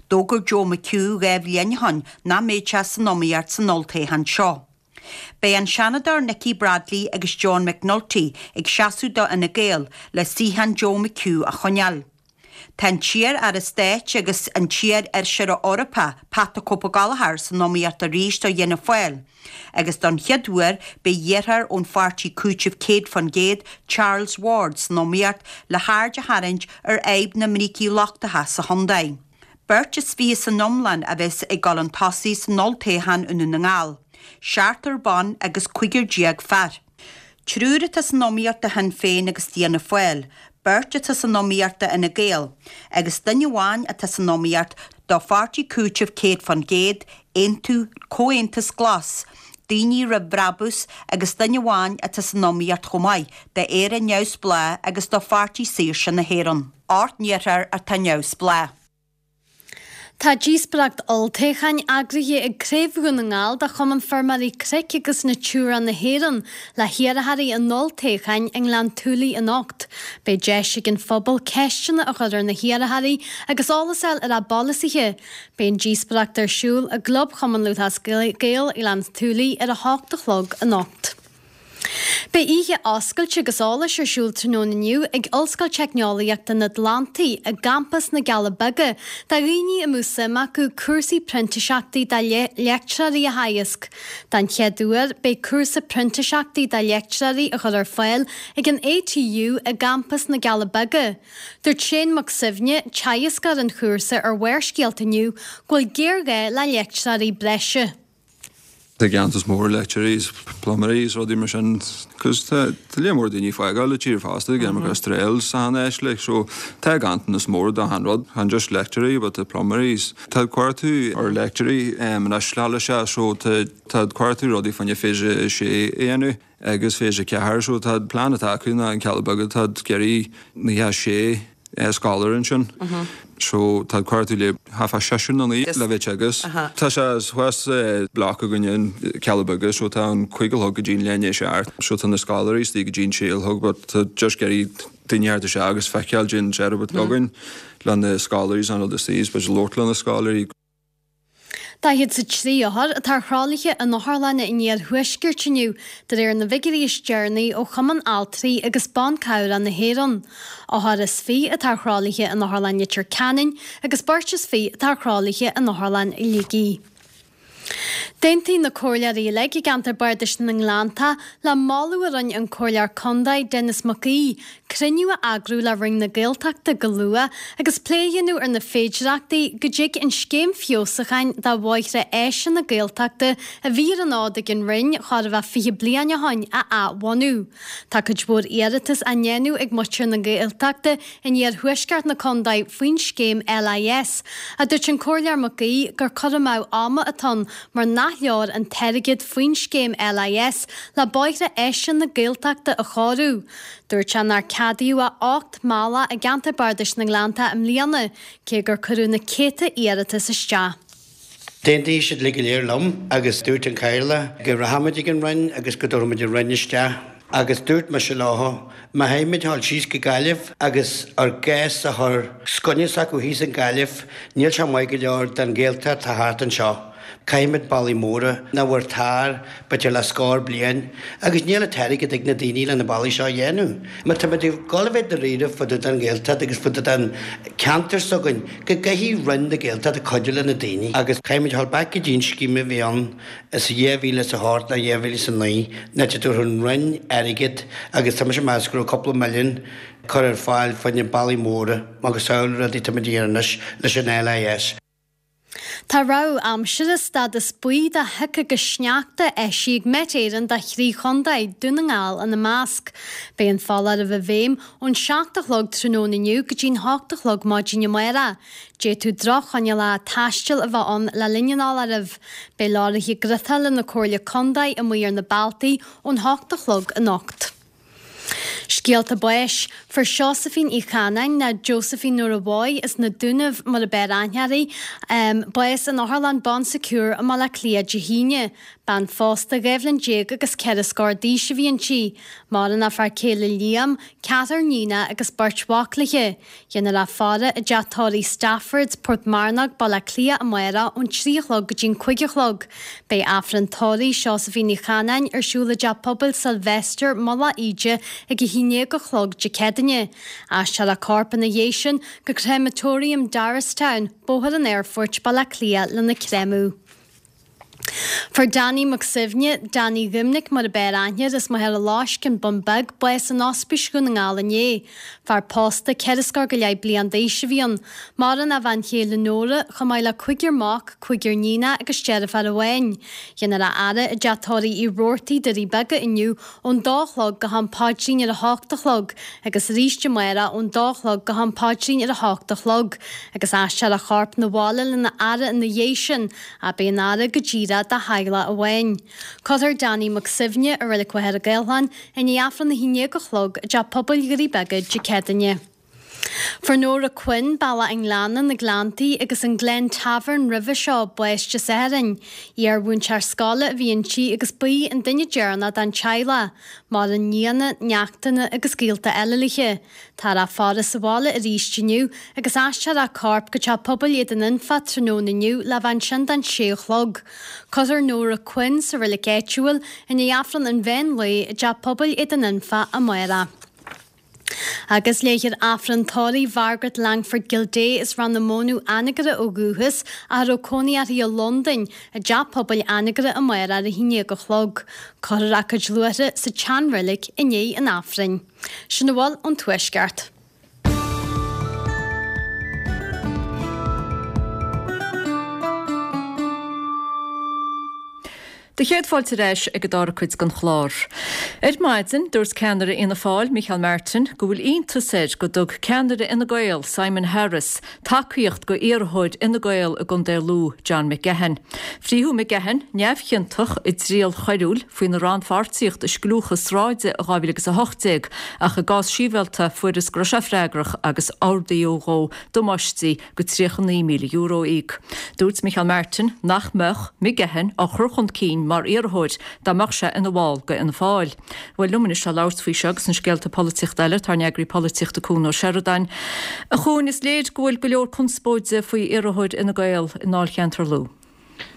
D'fhógair Joe McHugh 2 bhliain ó shin nach mbeadh sé san iomaíocht san olltoghchán seo. Beidh an Seanadóir Nikki Bradley agus John McNulty ag seasamh do Fhine Gael le suíochán Joe McHugh a choinneáil. Tá an t-iar-aire stáit agus an t-iar-fheisire Eorpach Pat the Cope Gallagher san iomaíocht arís do Fhianna Fáil agus don chéad uair beidh iarrthóir ón pháirtí Cúiteamh 100%, Charles Ward, san iomaíocht le haird a tharraingt ar fhadhb na mbrící lochtacha sa chontae. Beirt is fiche san iomlán a bheas ag dul chun tosaigh san olltoghchán i nDún na nGall, seachtar ban agus 15 fear. Triúr atá san iomaíocht do Shinn Féin agus d'Fhianna Fáil, beirt atá san iomaíocht do Fhine Gael, agus duine amháin atá san iomaíocht do Pháirtí Cúitimh 100%, Aontú, Comhaontas Glas, Daoine Roimh Bhrabús agus duine amháin atá san iomaíocht chomh maith d'Éire Neamhspleách agus do Pháirtí Saoirse na hÉireann. Ocht n-iarrthóir atá neamhspleách. Tá díospóireacht olltoghcháin eagraithe ag Craobh Dhún na nGall de Chumann Feirmeoirí Cnoic agus Natura na hÉireann le hiarrthóirí an olltoghcháin i nGleann tSúilí anocht. Beidh deis ag an phobal ceisteanna a chur ar na hiarrthóirí agus eolas a fháil ar a bpolasaithe. Beidh an díospóireacht ar siúl i gClub Chumann Lúthchleas Gael Ghleann tSúilí ar a hocht a chlog anocht. Beidh oíche oscailte agus eolais ar siúl tráthnóna inniu ag Ollscoil Teicneolaíochta an Atlantaigh i gCampas na gCealla Beaga do dhaoine a mbeadh suim acu cúrsaí printíseachtaí do leictreoirí a theagasc. Den chéad uair, beidh cúrsa printíseachtaí do leictreoirí á chur ar fáil ag an ATU i gCampas na gCealla Beaga. Dúirt Shane Mac Suibhne, teagascóir an chúrsa ar Bharrscéalta inniu, go bhfuil géarghá le leictreoirí breise. Tá ganntanas mór leictreoirí is pluiméirí is rudaí mar sin cos tá lear mór daoine ag fágáil an tír fosta ag imeacht Astráil is achan áit like so tá ganntanas mór de achan rud chan just leictreoirí but tá pluiméirí is tá cuartú ar leictreoirí anois le sé so tá tá cuartú rudaí fá choinne phase a sé a dhéanamh. Agus phase 4 so tá plean atá acu ná an Cealla Beaga tá ag iarraidh 96 scoláire ansin so tá cuartú le half a seisear nó naoi le bheith agus tá sé thuas block againne in Cealla Beaga so tá an cúig a chlog go dtí an leath i ndiaidh a seacht so tá na scoláirí istigh go dtí an sé a chlog but tá just ag iarraidh daoine a theacht isteach agus feiceáil dén setup atá againn le na scoláirí is an rud istigh is b'fhéidir labhairt le na scoláirí. 43 othar atá ar thralaithe in otharlanna an iarthuaiscirt inniu, de réir na bhfigiúirí is deireanaí ó Chumann Altraí agus Ban Cabhrach na hÉireann. Othar is fiche atá ar thralaithe in Otharlann Leitir Ceanainn agus beirt is fiche atá ar thralaithe in Otharlann Shligigh. D'aontaigh na comhairleoirí uilig i gceantar Bardais na nGleanntach le moladh a rinne an Comhairleoir Contae Denis Mac Aoidh cruinniú a eagrú le Roinn na Gaeltachta go luath agus plé a dhéanamh ar na féidireachtaí go dtig an scéim feabhsúcháin do bhóithre áise na Gaeltachta a bhí ar an fhód ag an Roinn chóir a bheith 20 bliain ó shoin a athbhunú. Tá cuid mhór iarratas á ndéanamh ag muintir na Gaeltachta in iarthuaisceart na contae faoin scéim LIS, ach dúirt an Comhairleoir Mac Aoidh gur cur amú ama atá ann mar nach leor an t-airgead faoin scéim LIS le bóithre áise na Gaeltachta a chóiriú. Dúirt sé nár ceadaíodh ach 8 mbealach i gceantar Bardais na nGleanntach i mbliana, cé gur cuireadh na céadta iarratas isteach. D'aontaigh siad uilig go léir liom agus dúirt an Cathaoirleach go rachaimid ag an Roinn agus go dtabharfaimid an Roinn isteach agus dúirt mise leo má théimid thall síos go Gaillimh agus ár gcás a chur os coinne s'acu thíos in Gaillimh níl sé maith go leor don Ghaeltacht atá thart anseo. Caithfimid bealaí móra nach bhfuair tar, b'fhéidir le scór bliain, agus níl an t-airgead ag na daoine le na bealaí seo a dhéanamh. Má táimid ag dul a bheith dáiríre fá dtaobh den Ghaeltacht agus fá dtaobh den ceantar s'againn, go gcaithfidh Roinn na Gaeltachta cuidiú le na daoine. Agus caithfimid dhul back go dtí an scéim a bhí ann sa 2008 nó 2009 nuair a tabharfadh an Roinn airgead agus tá mise ag meas go raibh cúpla milliún curtha ar fáil fá choinne bealaí móra agus samhail rudaí táimid a dhéanamh anois leis an LIS. Tá rabhadh aimsire stádas buí do shioc agus sneachta eisithe ag Met Éireann do thrí chontae, Dún na nGall ina measc. Beidh an foláireamh i bhfeidhm ón 7 a chlog tráthnóna inniu go dtí'n 8 a chlog maidin amárach. D'fhéadfadh droch-choinníollacha taistil a bheith ann le linn an fholáirimh. Beidh leoraithe griotála na Comhairle Contae amuigh ar na bealtaí ón 8 a chlog anocht. Scéalta báis. Fuair Seosaimhín Uí Chanáin, nó Josephine Nóra Mhaigh as na Dúnaibh mar a b'fhearr aithne uirthi, bás in Otharlann Bon Secours i mBaile Átha Cliath Dé hAoine. Bean phósta 12 bhliain agus ceithre scór d'aois a bhí inti. Maireann a fear céile Liam, ceathrar níonacha agus beirt mhac léi. Déanfar í a fhaire i dteach tórraimh Staffords, Portmarnock, Baile Átha Cliath amárach ón 3 a chlog go dtí'n 5 a chlog. Beidh Aifreann tórraimh Seosaimhín Uí Chanáin ar siúl i dTeach Pobail Sylvester, Mullach Íde ag 11 a chlog Dé Céadaoine. Aistreofar a corp ina dhiaidh sin go Crematorium Darristown, Bóthar an Aerfoirt, Baile Átha Cliath lena créamadh. Fuair Danny Mac Suibhne, Danny Dhoimnic mar a b'fhearr aithne air as Machaire Loisc, An Bun Beag, bás in Ospís Dhún na nGall inné. Fear pósta, ceithre scór go leith bliain d'aois a bhí ann. Maireann a bhean chéile Nóra, chomh maith le cúigear mac, cúigear níonach agus deirfiúr amháin. Déanfar a fhaire i dteach tórraimh Uí Robhartaigh, Doirí Beaga inniu ón dó a chlog go ham paidrín ar a hocht a chlog agus arís amárach ón dó a chlog go ham paidrín ar a hocht a chlog agus aistreofar a chorp 'na bhaile lena fhaire ina dhiaidh sin. Ach beidh an fhaire go díreach dá theaghlach amháin. Cuirfear Danny Mac Suibhne i Reilig Mhachaire Gathlán i ndiaidh Aifreann a haon déag a chlog i dTeach Pobail Dhoirí Beaga Dé Céadaoine. Fuair Nóra Quinn, Bealach an Ghleanna, Na Gleanntaí agus an Glen Tavern roimhe seo, bás Dé Sathairn. Iar-mhúinteoir scoile a bhí inti agus ba í an duine deireanach den teaghlach. Maireann nianna, neachtanna agus gaolta eile léi. Táthar á faire sa bhaile arís inniu agus aistreofar a corp go Teach Pobail Éadan Anfa tráthnóna inniu le bheith ansin don sé a chlog. Cuirfear Nóra Quinn sa reilig áitiúil i ndiaidh Aifreann an mheán lae i dTeach Pobail Éadan Anfa amárach. Agus léifear Aifreann tórraimh Mhargaret Langford Gildea as Ráth na Mónadh Anagaire ó dhúchas ach a raibh cónaí uirthi i Londain, i dTeach Pobail Anagaire amárach ar a haon déag a chlog. Cuirfear a cuid luaithre sa tseanreilig i ndiaidh an Aifrinn. Sin a bhfuil ón Tuaisceart. Do chéad fáilte ar ais ag an dara cuid den chlár. Ar maidin, dúirt ceannaire Fhianna Fáil, Micheál Martin, go bhfuil iontas air go dtug ceannaire Fhine Gael, Simon Harris, tacaíocht go iarrthóir Fhine Gael i gContae Lú, John McGahon. Frítheadh McGahon neamhchiontach i dtriail choiriúil faoina rannpháirtíocht i scliúchas sráide i 2018 ach i gcás sibhialta fuarthas go raibh sé freagrach agus ordaíodh dhó damáistí go €39,000 a íoc. Dúirt Micheál Martin nach mbeadh McGahon á chur chun cinn mar iarrthóir dá mbeadh sé ina bhall go Fhianna Fáil. Bhuel, liom anois le labhairt faoi seo agus na scéalta polaitíochta eile tá ár n-eagraí polaitíochta Cuan Ó Seireadáin. A Chuain, is léir go bhfuil go leor conspóide faoi iarrthóir Fhine Gael i ndáilcheantar Lú.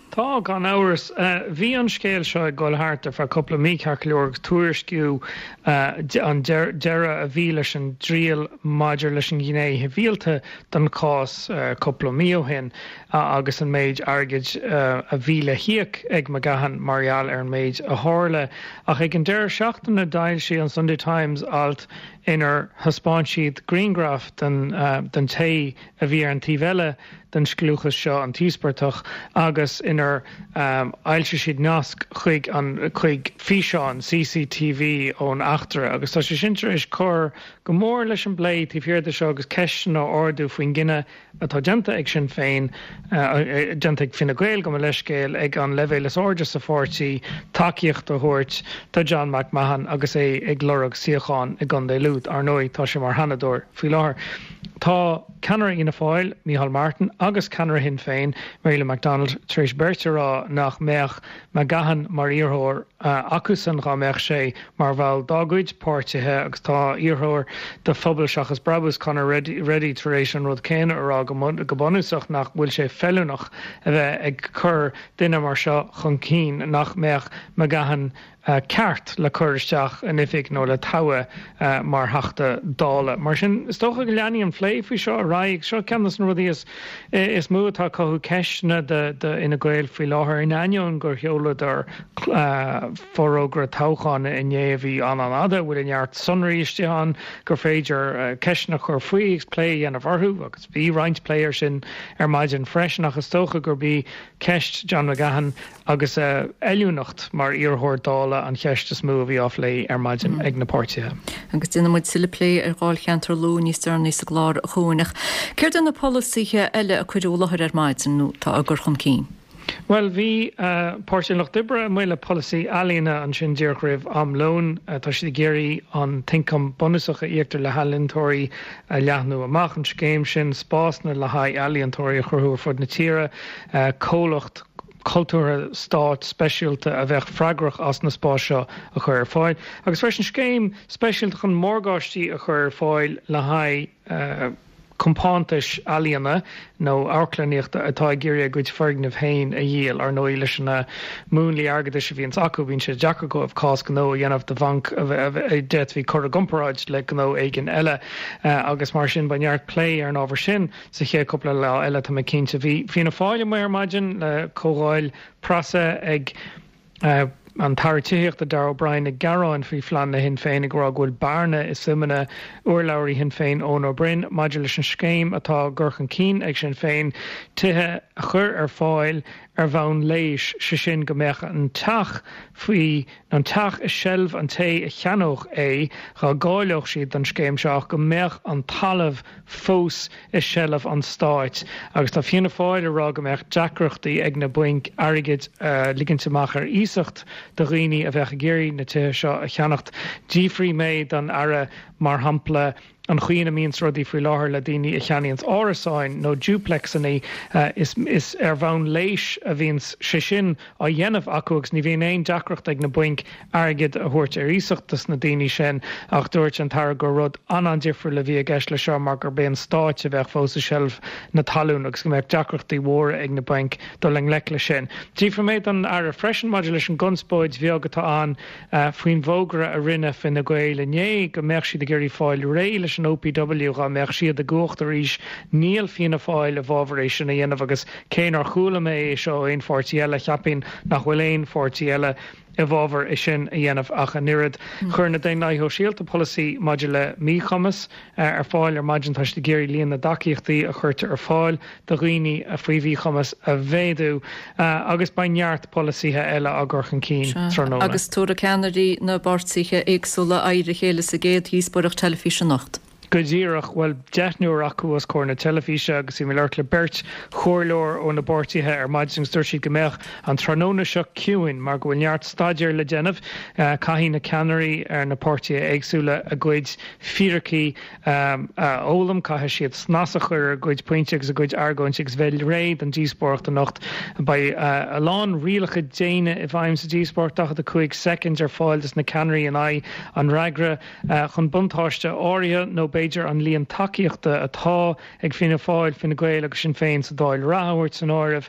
Tá, gan amhras. Bhí an scéal seo ag dul thart ar feadh cúpla mí, ceart go leor, agus tuairisciú an deireadh a bhí leis an dtriail maidir leis an ghné shibhialta den chás cúpla mí ó shin agus an méid airgid a bhí le híoc ag McGahon mar gheall ar an méid a tharla. Ach ag an deireadh seachtaine d'fhoilsigh an Sunday Times alt inar thaispeáin siad grianghraf den té a bhí ar an taobh eile den scliúchas seo, an t-íospartach, agus inar fhoilsigh siad nasc chuig an chuig físeán CCTV ón eachtra agus tá sé sin tar éis cur go mór leis an bplé taobh thiar de seo agus ceisteanna a ardú faoin gcinneadh atá déanta ag Sinn Féin, déanta ag Fine Gael, gabh mo leithscéal, ag an leibhéal is airde sa pháirtí, tacaíocht a thabhairt do John McMahon agus é ag lorg suíochán i gContae Lú. Ar ndóigh, tá sé mar Sheanadóir faoi láthair. Tá ceannaire Fhianna Fáil, Micheál Martin, agus ceannaire Shinn Féin, Mary Lou McDonald, tar éis beirt a rá nach mbeadh McGahon mar iarrthóir acusan dhá mbeadh sé mar bhall dá gcuid páirtithe agus tá iarrthóir do Phobal Seachas Brabús, Conor Reidy, tar éis an rud céanna a rá go bunúsach nach bhfuil sé feiliúnach a bheith ag cur duine mar seo chun cinn, nach mbeadh McGahon ceart le cur isteach in oifig nó le toghadh mar Theachta Dála. Mar sin, is dócha go leanfaidh an plé faoi seo ar aghaidh. Seo ceann de na rudaí is mó atá ag cothú ceisteanna do Fhine Gael faoi láthair, in ainneoin gur sheoladar forógra toghcháin inné a bhí an-an-fhada, a bhfuil neart sonraí istigh ann gur féidir ceisteanna a chur faoi agus plé a dhéanamh orthu, agus bhí roinnt plé air sin ar maidin freisin, ach is dócha gurb í ceist John McGahon agus a fheiliúnacht mar iarrthóir Dála an cheist is mó a bhí á phlé ar maidin ag na páirtithe. Agus déanfaidh muid tuilleadh plé ar Dháilcheantar Lú níos deireanaí sa gclár, a Chuain. Ach céard é na polasaithe eile a cuireadh i láthair ar maidin nó atá á gcur chun cinn? Bhuel, bhí Páirtí an Lucht Oibre amuigh le polasaí ealaíona ansin díreach roimh am lóin. Tá siad ag iarraidh an t-ioncam bunúsach a íoctar le healaíontóirí a leathnú amach, an scéim sin, spásanna le haghaidh ealaíontóirí a chruthú ar fud na tíre, comhlacht cultúrtha stáit speisialta a bheadh freagrach as na spáis seo a chur ar fáil, agus freisin scéim speisialta chun morgáistí a chur ar fáil le haghaidh compántais ealaíona nó amharclannaíochta atá ag iarraidh a gcuid foirgneamh féin a dhíol. Ar ndóigh, leis na múnlaí airgeadais a bhíonns acu, bíonn sé deacair dóibh cás gnó a dhéanamh do bhanc a d'fhéadfaí cur i gcomparáid le gnó éigin eile agus mar sin beidh neart plé ar an ábhar sin. Sa chéad cúpla lá eile, tá mé cinnte. Bhí Fianna Fáil amuigh ar maidin le comhdháil preasa ag an tAire Tithíochta Darragh O'Brien ag gearán faoi phleananna Shinn Féin ag rá go bhfuil bearna i suimeanna urlabhraí Shinn Féin Eoin Ó Broin maidir leis an scéim atá á gcur chun cinn ag Sinn Féin tithe a chur ar fáil ar bhonn léis, sé sin go mbeadh an teach faoi an teach i seilbh an té a cheannódh é dhá gcáileodh siad don scéim seo ach go mbeadh an talamh fós i seilbh an stáit agus tá Fianna Fáil ag rá go mbeadh deacrachtaí ag na bainc airgead a ligint amach ar iasacht do dhaoine a bheadh ag iarraidh na tithe seo a cheannacht. D'fhiafraigh mé don Aire, mar shampla, An chaoi ina mbíonns rudaí faoi láthair le daoine a cheannaíonns árasáin nó duplexannaí, is is ar bhonn léis a bhíonns sé sin á dhéanamh acu agus ní bhíonn aon deacracht ag na bainc airgead a thabhairt ar iasacht dos na daoine sin ach dúirt an tAire gur rud an-an-difriúil a bhí i gceist leis seo mar gurb é an Stáit a bheadh fós i seilbh na talún agus go mbeadh deacrachtaí mhóra ag na bainc dul i ngleic leis sin. D'fhiafraigh mé don Aire freisin maidir leis an gconspóid bheag atá ann faoin bhfógra a rinne Fine Gael inné go mbeadh siad ag iarraidh fáil réidh leis an OPW dhá mbeadh siad i gcumhacht arís. Níl Fianna Fáil i bhfabhar é sin a dhéanamh agus cé nár chuala mé é seo ó aon pháirtí eile, cheapfainn nach bhfuil aon pháirtí eile i bhfabhar é sin a dhéanamh ach an oiread. Chuir na Daonlathaithe Shóisialta polasaí maidir le míchumas ar fáil ar maidin. Tá siad ag iarraidh líon na dtacaíochtaí a chuirtear ar fáil do dhaoine faoi mhíchumas a mhéadú agus beidh neart polasaithe eile á gcur chun cinn tráthnóna. Agus tabharfaidh ceannairí na bpáirtithe éagsúla aghaidh ar a chéile sa gcéad dhíospóireacht teilifíse anocht. Go díreach, bhuel, deichniúr acu os comhair na teilifíse agus bhí mé ag labhairt le beirt chomhairleoir ó na bpáirtithe ar maidin agus dúirt siad go mbeadh an tráthnóna seo ciúin mar go bhfuil neart staidéir le déanamh. Caithfidh na ceannairí ar na páirtithe éagsúla a gcuid fíricí a fhoghlaim, caithfidh siad snas a chur ar a gcuid pointí agus a gcuid argóintí agus bheith réidh don díospóireacht anocht. Beidh a lán rialacha déine i bhfeidhm sa díospóireacht, 45 soicind ar fáil dos na ceannairí in aghaidh an fhreagra chun buntáiste áirithe nó b'fhéidir an líon tacaíochta atá ag Fianna Fáil, Fine Gael agus Sinn Féin sa Dáil reatha a thabhairt san áireamh.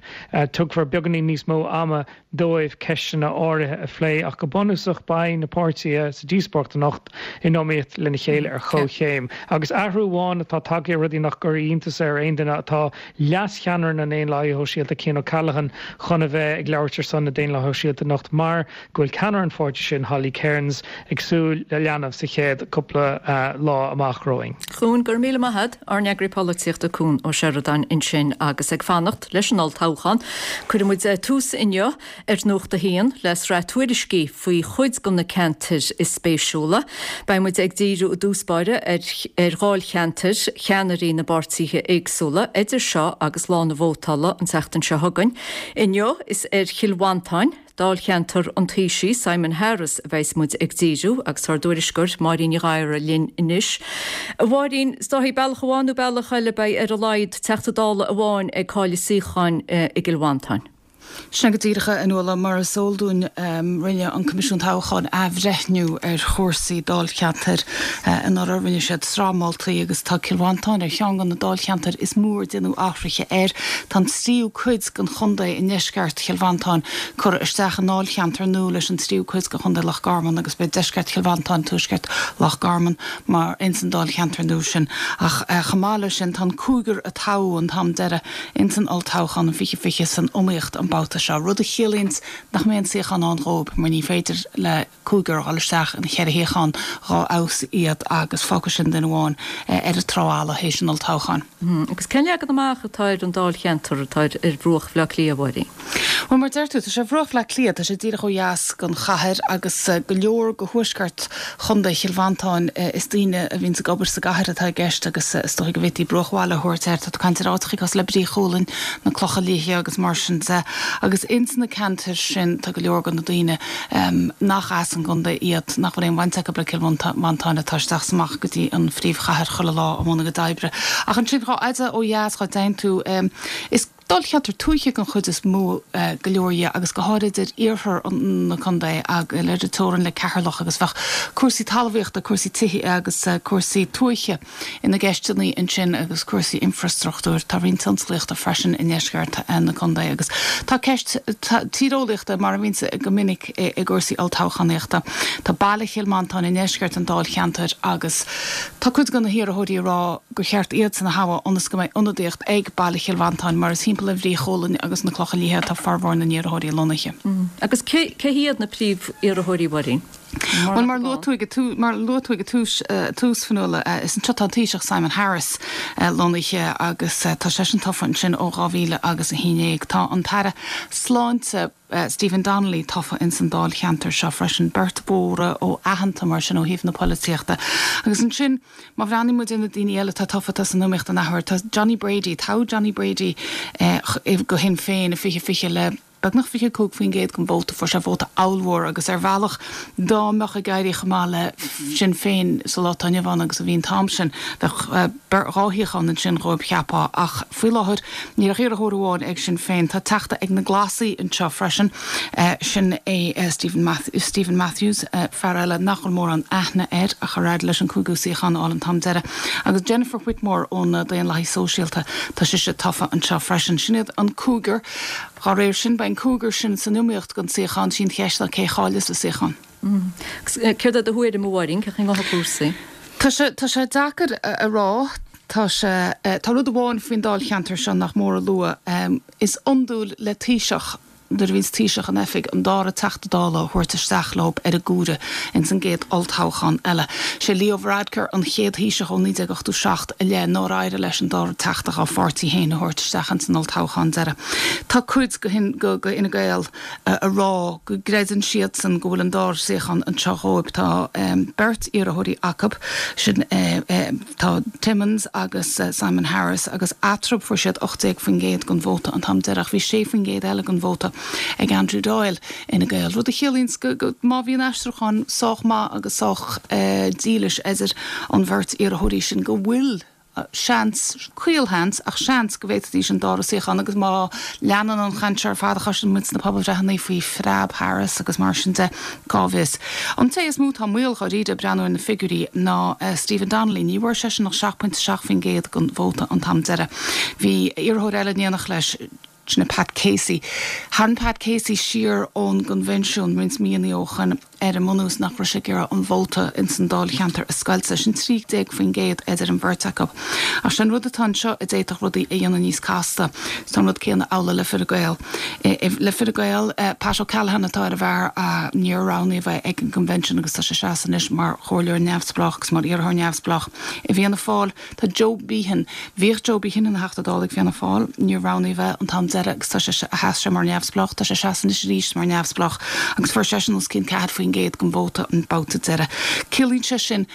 Tugfar beagáinín níos mó ama dóibh ceisteanna áirithe a phlé ach go bunúsach beidh na páirtithe sa díospóireacht anocht in iomaíocht lena chéile ar chomhchéim. Agus athrú amháin atá tagtha ar rudaí nach gcuirfidh iontas ar aon duine tá leascheannaire na nDaonlathaithe Shóisialta Cian O'Callaghan chun a bheith ag labhairt ar son na Daonlathaithe Shóisialta anocht mar go bhfuil ceannaire an pháirtí sin, Holly Cairns, ag súil le leanbh sa chéad cúpla lá amach romhainn. Cuan, go raibh míle maith a't, ár n-eagraí polaitíochta Cuan Ó Seireadáin ansin agus ag fanacht leis an olltoghchán. Cuirfidh muid tús inniu ar Nuacht a hAon le sraith tuairiscí faoi chuid de na ceantair is spéisiúla. Beidh muid ag díriú i dtús báire ar ar dháilcheantair cheannairí na bpáirtithe éagsúla idir seo agus lá na vótála an tseachtain seo chugainn. Inniu is ar Chill Mhantáin, Dáilcheantar an Taoisigh, Simon Harris, a bheas muid ag díriú agus tá ár dtuairisceoir Máirín Ní Ghadhra linn anois. A Mháirín, is dóichí bealach amháin nó bealach eile beidh ar a laghad Teachta Dála amháin ag cailleadh suíocháin i gCill Mhantáin. Sin é go díreach, a Fhionnuala. Mar is eol dúinn, rinne an Coimisiún Toghcháin athbhreithniú ar chúrsaí dáilcheantair anuraidh. Rinne siad sraith moltaí agus tá Cill Mhantáin ar cheann de na dáilcheantair is mó ar déanadh athruithe air. Tá an tríú cuid den chontae i ndeisceart Chill Mhantáin curtha isteach i ndáilcheantar nua leis an tríú cuid de chontae Loch Garman agus beidh deisceart Chill Mhantáin, tuaisceart Loch Garman mar ins an dáilcheantar nua sin. Ach chomh maith leis sin tá an cúigear a toghadh an t-am deiridh ins an olltoghchán in 2020 san iomaíocht an babhta seo, rud a chiallaíonns nach mbeidh aon suíochán ann dhóib mar ní féidir le cúigear a dhul isteach ina cheithre shuíochán dhá fheabhas iad agus fágfaidh sin duine amháin ar an trá fhalla théis an olltoghcháin. Agus cén leagan amach atá ar an dáilcheantar atá ar bhruach Bhaile Átha Cliath, a Mháirín? Bhuel, mar a deir tú, tá sé ar bhruach Bhaile Átha Cliath, tá sé díreach ó dheas den chathair agus go leor de thuaisceart chontae Chill Mhantáin, is daoine a bhíonns ag obair sa gcathair atá i gceist agus is dóigh go bhféadfaí bruachbhaile a thabhairt air. Tá tú ag caint ar áiteachaí cosúil le Brí Chualainn, na Clocha Liatha agus mar sin de. Agus ins na ceantair sin tá go leor de na daoine nach as an gcontae iad, nach bhfuil aon bhaint acu le Cill Mhantáin, atá isteach is amach go dtí an phríomhchathair chuile lá i mbun a gcuid oibre. Ach ansin, chomh fhada ó dheas dhá dtéann tú, is dáilcheantar tuaithe den chuid is mó go leor dhe agus go háirid ar iarthar na contae ar an teorainn le Ceatharlach agus bheadh cúrsaí talmhaíochta, cúrsaí tithe agus cúrsaí tuaithe ina gceisteanna ansin agus cúrsaí infreastruchtúir. Tá roinnt tionsclaíochta freisin i ndeisceart na contae agus tá ceist tíreolaíochta, mar a bhíonns go minic i gcúrsaí olltoghchánaíochta. Tá baile Chill Mhantáin i ndeisceart an dáilcheantair agus tá cuid de na hiarrthóirí ag rá gur cheart iadsan a thoghadh ionas go mbeidh ionadaíocht ag baile Chill Mhantáin mar is thimpeall ar Bhrí Chualainn agus na Clocha Liatha atá formhór na n-iarrthóirí lonnaithe. Agus cé hiad na príomh-iarrthóirí, a Mháirín? Bhuel, mar a luaigh tú ag an, mar a luaigh tú ag an tús, tús, Fionnuala, is anseo atá an Taoiseach Simon Harris lonnaithe agus tá seisean tofa ansin ó 2000 agus 11. Tá an tAire Sláinte Stephen Donnelly tofa ins an dáilcheantar seo freisin, beirt mhóra ó aitheanta mar sin ó thaobh na polaitíochta. Agus ansin, má bhreathnaíonn muid ar na daoine eile atá tofa atá san iomaíocht an athuair, tá Johnny Brady, toghadh Johnny Brady go Shinn Féin i 2020 le. beagnach 25% den vóta, fuair sé vóta ollmhór agus ar bhealach dá mbeadh ag éirí chomh maith le Sinn Féin sa lá atá inniu ann agus a bhí an t-am sin, bheadh dhá shuíochán ansin dhóibh cheapfá ach faoi láthair níl ach iarrthóir amháin ag Sinn Féin. Tá teachta ag na Glasaigh anseo freisin, sin é Steven Stephen Matthews, fear eile nach bhfuil mórán aithne air ach ar éirigh leis an cúigiú suíochán a fháil an t-am deiridh agus Jennifer Whitmore ó na Daonlathaigh Sóisialta, tá sise tofa anseo freisin. Sin iad an cúigear. Dá réir sin, beidh an cúigear sin san iomaíocht don suíochán. Sí an cheist ná cé a chaillfeas an suíochán. Céard é do thuairim, a Mháirín, cén chaoi a ngabhfaidh cúrsaí? Tá sé, tá sé deacair a rá. Tá sé, tá rud amháin faoin dáilcheantar seo nach mór a lua. Is iondúil le Taoiseach, nuair a bhíonns Taoiseach in oifig, an dara Teachta Dála a thabhairt isteach leo ar an gcomhaireamh ins an gcéad olltoghchán eile. Sé Leo Varadkar an chéad Thaoiseach ó 1987 i leith nár éirigh leis an dara Teachta dhá pháirtí féin a thabhairt isteach ins an olltoghchán deiridh. Tá cuid de Fhine Gael a rá go gcreideann siadsan go bhfuil an dara suíochán anseo dhóibh. Tá beirt iarrthóirí acu, sin tá Timmins agus Simon Harris agus eatarthu fuair siad 18% den vóta an t-am deiridh ach bhí 6% eile den vóta ag Andrew Doyle Fhine Gael, rud a chiallaíonns go má bhíonn aistriúchán sách maith agus sách dílis idir an bheirt iarrthóirí sin go bhfuil seans, caolsheans, ach seans go bhféadfaidís an dara suíochán agus má leanann an chaint seo ar fad a chloiseann muid sna pobalbhreitheanna faoi phreab Harris agus mar sin de, cá bhfios. An té is mó atá i mbaol dháiríre, ag breathnú ar na figiúirí, ná Stephen Donnelly. Ní bhfuair seisean ach 7.7% den vóta an t-am deiridh. Bhí iarrthóir eile in éineacht leis, sin é Pat Casey. Tharraing Pat Casey siar ón gcoinbhinsiún roinnt míonna ó shoin ar an mbunús nach raibh sé ag iarraidh an vóta ins an dáilcheantar a scoilteadh. Sin 13% idir an bheirt acu. Ach sé an rud atá anseo a d'fhéadfadh rudaí a dhéanamh níos casta. Tá an rud céanna amhlaidh le Fine Gael. Le Fine Gael, Pat O'Callaghan atá ar an bhfear a níor roghnaíodh é ag an gcoinbhinsiún agus tá sé ag seasamh anois mar chomhairleoir neamhspleách agus mar iarrthóir neamhspleách i bhFianna Fáil. Tá Joe Behan. Bhíodh Joe Behan ina Theachta Dála ag Fianna Fáil. Níor roghnaíodh é an t-am deiridh agus tá sé, sheas sé mar neamhspleách. Tá sé ag seasamh anois arís mar neamhspleách agus fuair seisean os cionn 4% den vóta an babhta deiridh. Ciallaíonn sé sin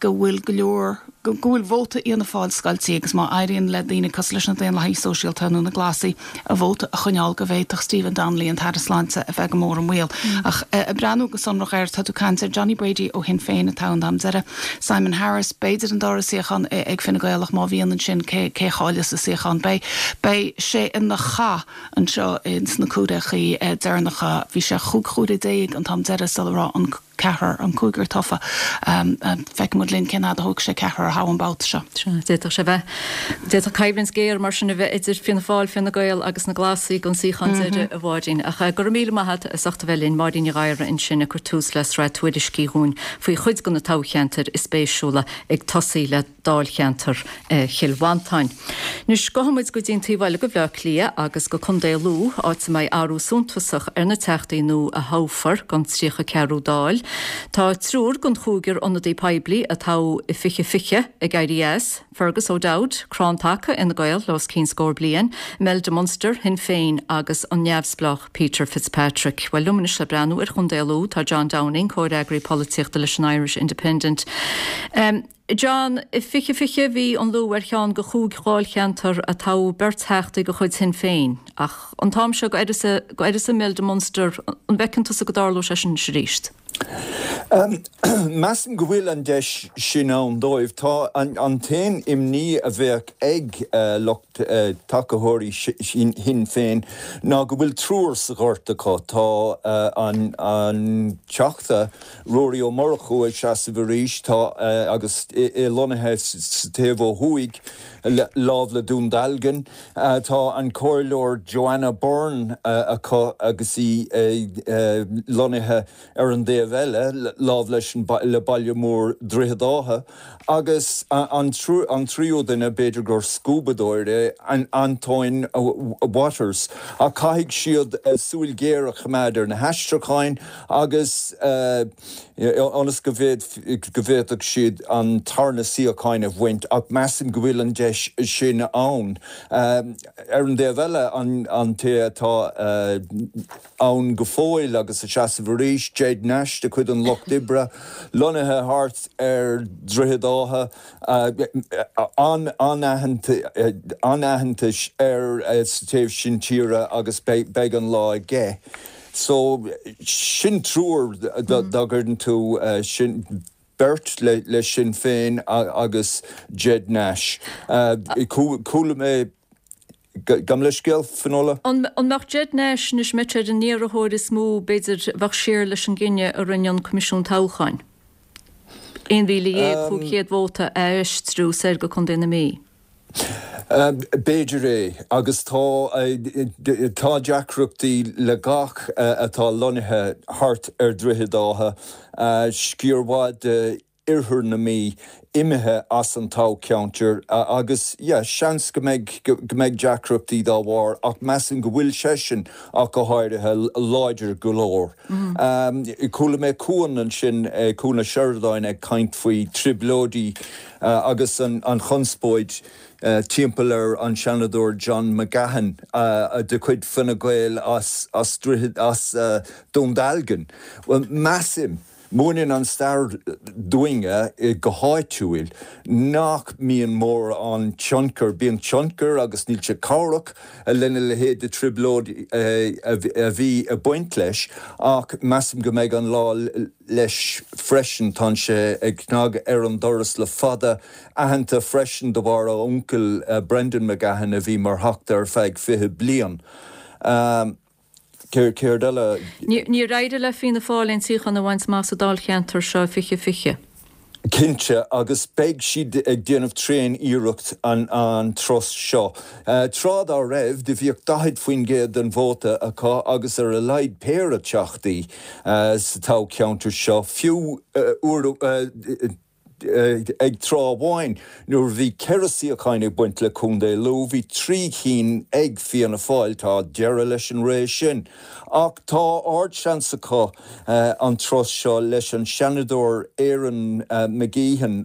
go bhfuil go leor, go bhfuil vóta Fhianna Fáil scoiltí agus má éiríonn le daoine cosúil leis na Daonlathaigh Sóisialta nó na Glasaigh a vóta a choinneáil go bhféadfadh Stephen Donnelly, an tAire Sláinte, a bheith go mór i mbaol. Ach ag breathnú go sonrach air, tá tú ag caint ar Johnny Brady ó Shinn Féin a toghadh an t-am deiridh, Simon Harris, b'fhéidir an dara suíochán ag Fine Gael ach má bhíonn ansin cé a chaillfeas an suíochán? Beidh beidh sé ina chath anseo ins na comhaireachaí deireanacha. Bhí sé chúig chomhaireamh déag an t-am deiridh sula raibh an ceathrar, an cúigear tofa. Feicfidh muid linn cén fhad a thógfaidh sé ceathrar a thoghadh an babhta seo. Sea, d'fhéadfadh sé bheith, d'fhéadfadh coimhlint ghéar mar sin a bheith idir Fianna Fáil, Fine Gael agus na Glasaigh don suíochán deiridh, a Mháirín. Ach go raibh míle maith agat as ucht a bheith linn, Máirín Ní Ghadhra ansin ag cur tús le sraith tuairiscí dhúinn faoi chuid de na toghcheantair is spéisiúla ag tosaí le dáilcheantar Chill Mhantáin. Anois, gabhfaidh muid go dtí an taobh eile de Bhleá Cliath agus go Contae Lú, áit a mbeidh athrú suntasach ar na teachtaí nua a thoghfar don 34ú Dáil. Tá triúr den chúigear ionadaí poiblí a toghadh i 2020 ag éirí as, Fergus O'Dowd, crann taca Fhine Gael le os cionn scór bliain, Imelda Munster, Shinn Féin, agus an neamhspleách Peter Fitzpatrick. Bhuel, liom anois le breathnú ar Chontae Lú tá John Downing, comhfhreagraí polaitíochta leis an Irish Independent. John, i 2020 bhí an Lú ar cheann de chúig dháilcheantar a toghadh beirt theachtaí de chuid Shinn Féin. Ach an t-am seo go uireasa Imelda Munster, an bhfeiceann tusa go dtarlóidh sé sin anois arís? Measaim go bhfuil an deis sin ann dóibh. Tá an t-aon imní a bheadh ag lucht tacaitheoirí Shinn Féin ná go bhfuil triúr sa ghort acu. Tá an Teachta Ruairí Ó Murchú ag seasamh arís, tá agus é lonnaithe sa taobh ó thuaidh, lámh le Dún Dealgan. Tá an Comhairleoir Joanna Byrne acu agus í lonnaithe ar an dtaobh eile, lámh leis an le baile mór Droichead Átha. Agus an tríú duine, b'fhéidir gur scuabadóir é, Antoin Watters. Ach caithfidh siad súil ghéar a choimeád ar na haistriúcháin agus ionas go bhféadfadh siad an tarna suíocháin a bhaint ach measaim go bhfuil an deis sin ann. Ar an dtaobh eile, an té atá ann go fóill agus ag seasamh arís, Ged Nash. Nash de chuid an Lucht Oibre, lonnaithe thart ar Dhroichead Átha, an-aitheantas air sa taobh sin tíre agus beidh an lá aige. So, sin triúr dá gcuireann tú sin, beirt le Sinn Féin agus Ged Nash. Chuala mé, gabh mo leithscéal, Finola? An mbeadh Ged Nash anois, an mbeadh sé ar an iarrthóir is mó, b'fhéidir, a bheadh siar leis an gcinneadh a rinne an Coimisiún Toghcháin, 11,500 vóta a aistriú soir go Contae na Mí? B'fhéidir é, agus tá tá deacrachtaí le gach atá lonnaithe thart ar Dhroichead Átha, sciar mhaith de oirthear na Mí imithe as an toghcheantar agus yeah seans go mbeidh go mbeidh deacrachtaí dá bharr ach measaim go bhfuil seisean ach go háirithe láidir go leor. Chuala mé Cuan ansin, Cuan Ó Seireadáin ag caint faoi trioblóidí agus an chonspóid timpeall ar an Seanadóir John McGahon de chuid Fine Gael as as Dún Dealgan. Bhuel, measaim, múineann an stair dúinne go háitiúil nach mbíonn mórán tionchar, bíonn tionchar agus níl sé cabhrach lena leithéid de trioblóid a bhí ag baint leis ach measaim go mbeidh an lá leis freisin. Tá sé ag cnagadh ar an doras le fada, aitheanta freisin de bharr a uncail Brendan McGahon a bhí mar Theachta ar feadh 20 bliain. Céard eile? Níor éirigh le Fianna Fáil aon suíochán a bhaint amach sa dáilcheantar seo i 2020. Cinnte, agus beidh siad ag déanamh tréan iarracht an turas seo. Tráth dá raibh, do bhíodh 40% den vóta acu agus ar a laghad péire teachtaí sa toghcheantar seo, fiú uair ag tráth amháin nuair a bhí 4 suíocháin ag baint le Contae Lú, bhí 3 chinn ag Fianna Fáil. Tá deireadh leis an ré sin. Ach tá ardseans acu an turas seo leis an Seanadóir Erin McGeehan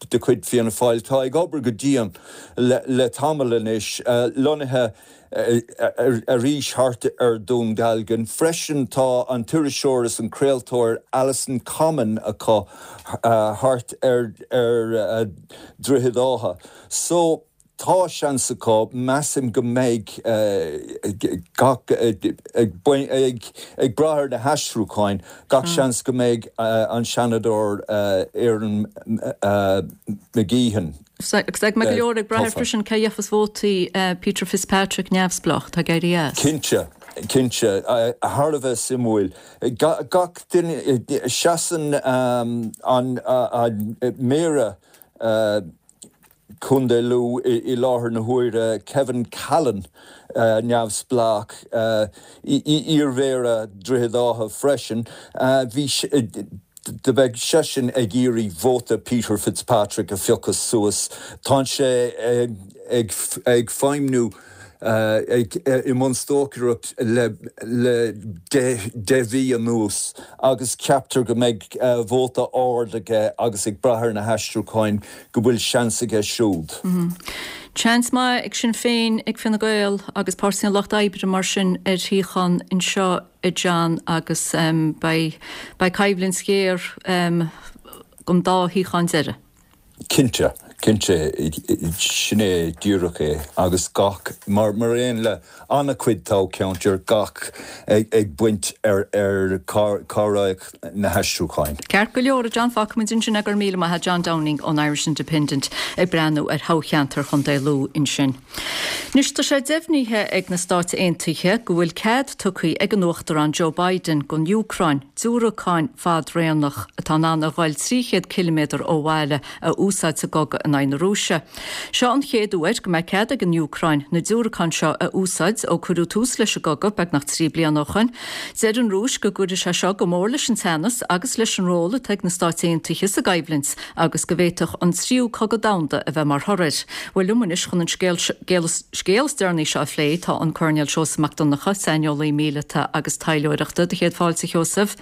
de chuid Fianna Fáil, atá ag obair go dian le tamall anois, lonnaithe arís thart ar Dhún Dealgan. Freisin tá an t-iriseoir is an craoltóir Alison Comyn acu thart ar Dhroichead Átha. So tá seans acu, measaim go mbeidh gach, ag brath ar na haistriúcháin, gach seans go mbeidh an Seanadóir Erin McGeehan Agus beidh go leor ag brath air freisin cé a gheofas vótaí Peter Fitzpatrick neamhspleách atá ag éirí as. Cinnte, cinnte. Thar a bheith suimiúil. Gach duine, seasann an Méara Contae Lú i láthair na huaire, Kevin Callan, neamhspleách, iar-Mhéara Droichead Átha freisin, bhí, do bheadh seisean ag iarraidh vóta Peter Fitzpatrick a phiocadh suas. Tá sé ag feidhmniú i mbun stocaireacht le 10 mhí anuas agus ceaptar go mbeidh vóta ard aige agus ag brath ar na haistriúcháin go bhfuil seans aige siúd. Seans maith ag Sinn Féin, ag Fine Gael agus Páirtí an Lucht Oibre mar sin ar shuíochán anseo. a John agus beidh beidh coimhlint ghéar don dá shuíochán deiridh. Cinnte, cinnte, sin é díreach é agus gach, mar mar aon le an-chuid toghcheantar, gach ag baint ar ar cá rachaidh na haistriúcháin. Ceart go leor, a John, fágfaimid ansin é, go raibh míle maith agat, John Downing ón Irish Independent ag breathnú ar thoghcheantar Chontae Lú ansin. Anois tá sé deimhnithe ag na Stáit Aontaithe go bhfuil cead tugtha ag an Uachtarán Joe Biden don Úcráin diúracáin fadraonach atá in ann a ghoil 300 ciliméadar ó bhaile a úsáid sa gcogadh in aghaidh na Rúise. Seo an chéad uair go mbeidh cead ag an Úcráin na diúracáin seo a úsáid ó cuireadh tús leis an gcogadh beagnach 3 bliana ó shoin. Deir an Rúis go gcuirfidh sé seo go mór leis an teannas agus leis an ról atá ag na Stáit Aontaithe sa gcoimhlint. agus go bhféadfadh an tríú cogadh domhanda a bheith mar thoradh air. Bhuel, liom anois chun an scéal scéal is deireanaí seo a phlé tá an Coirnéal Seosamh Mac Donncha, saineolaí míleata agus taidhleoireachta. Do chéad fáilte, a Sheosaimh.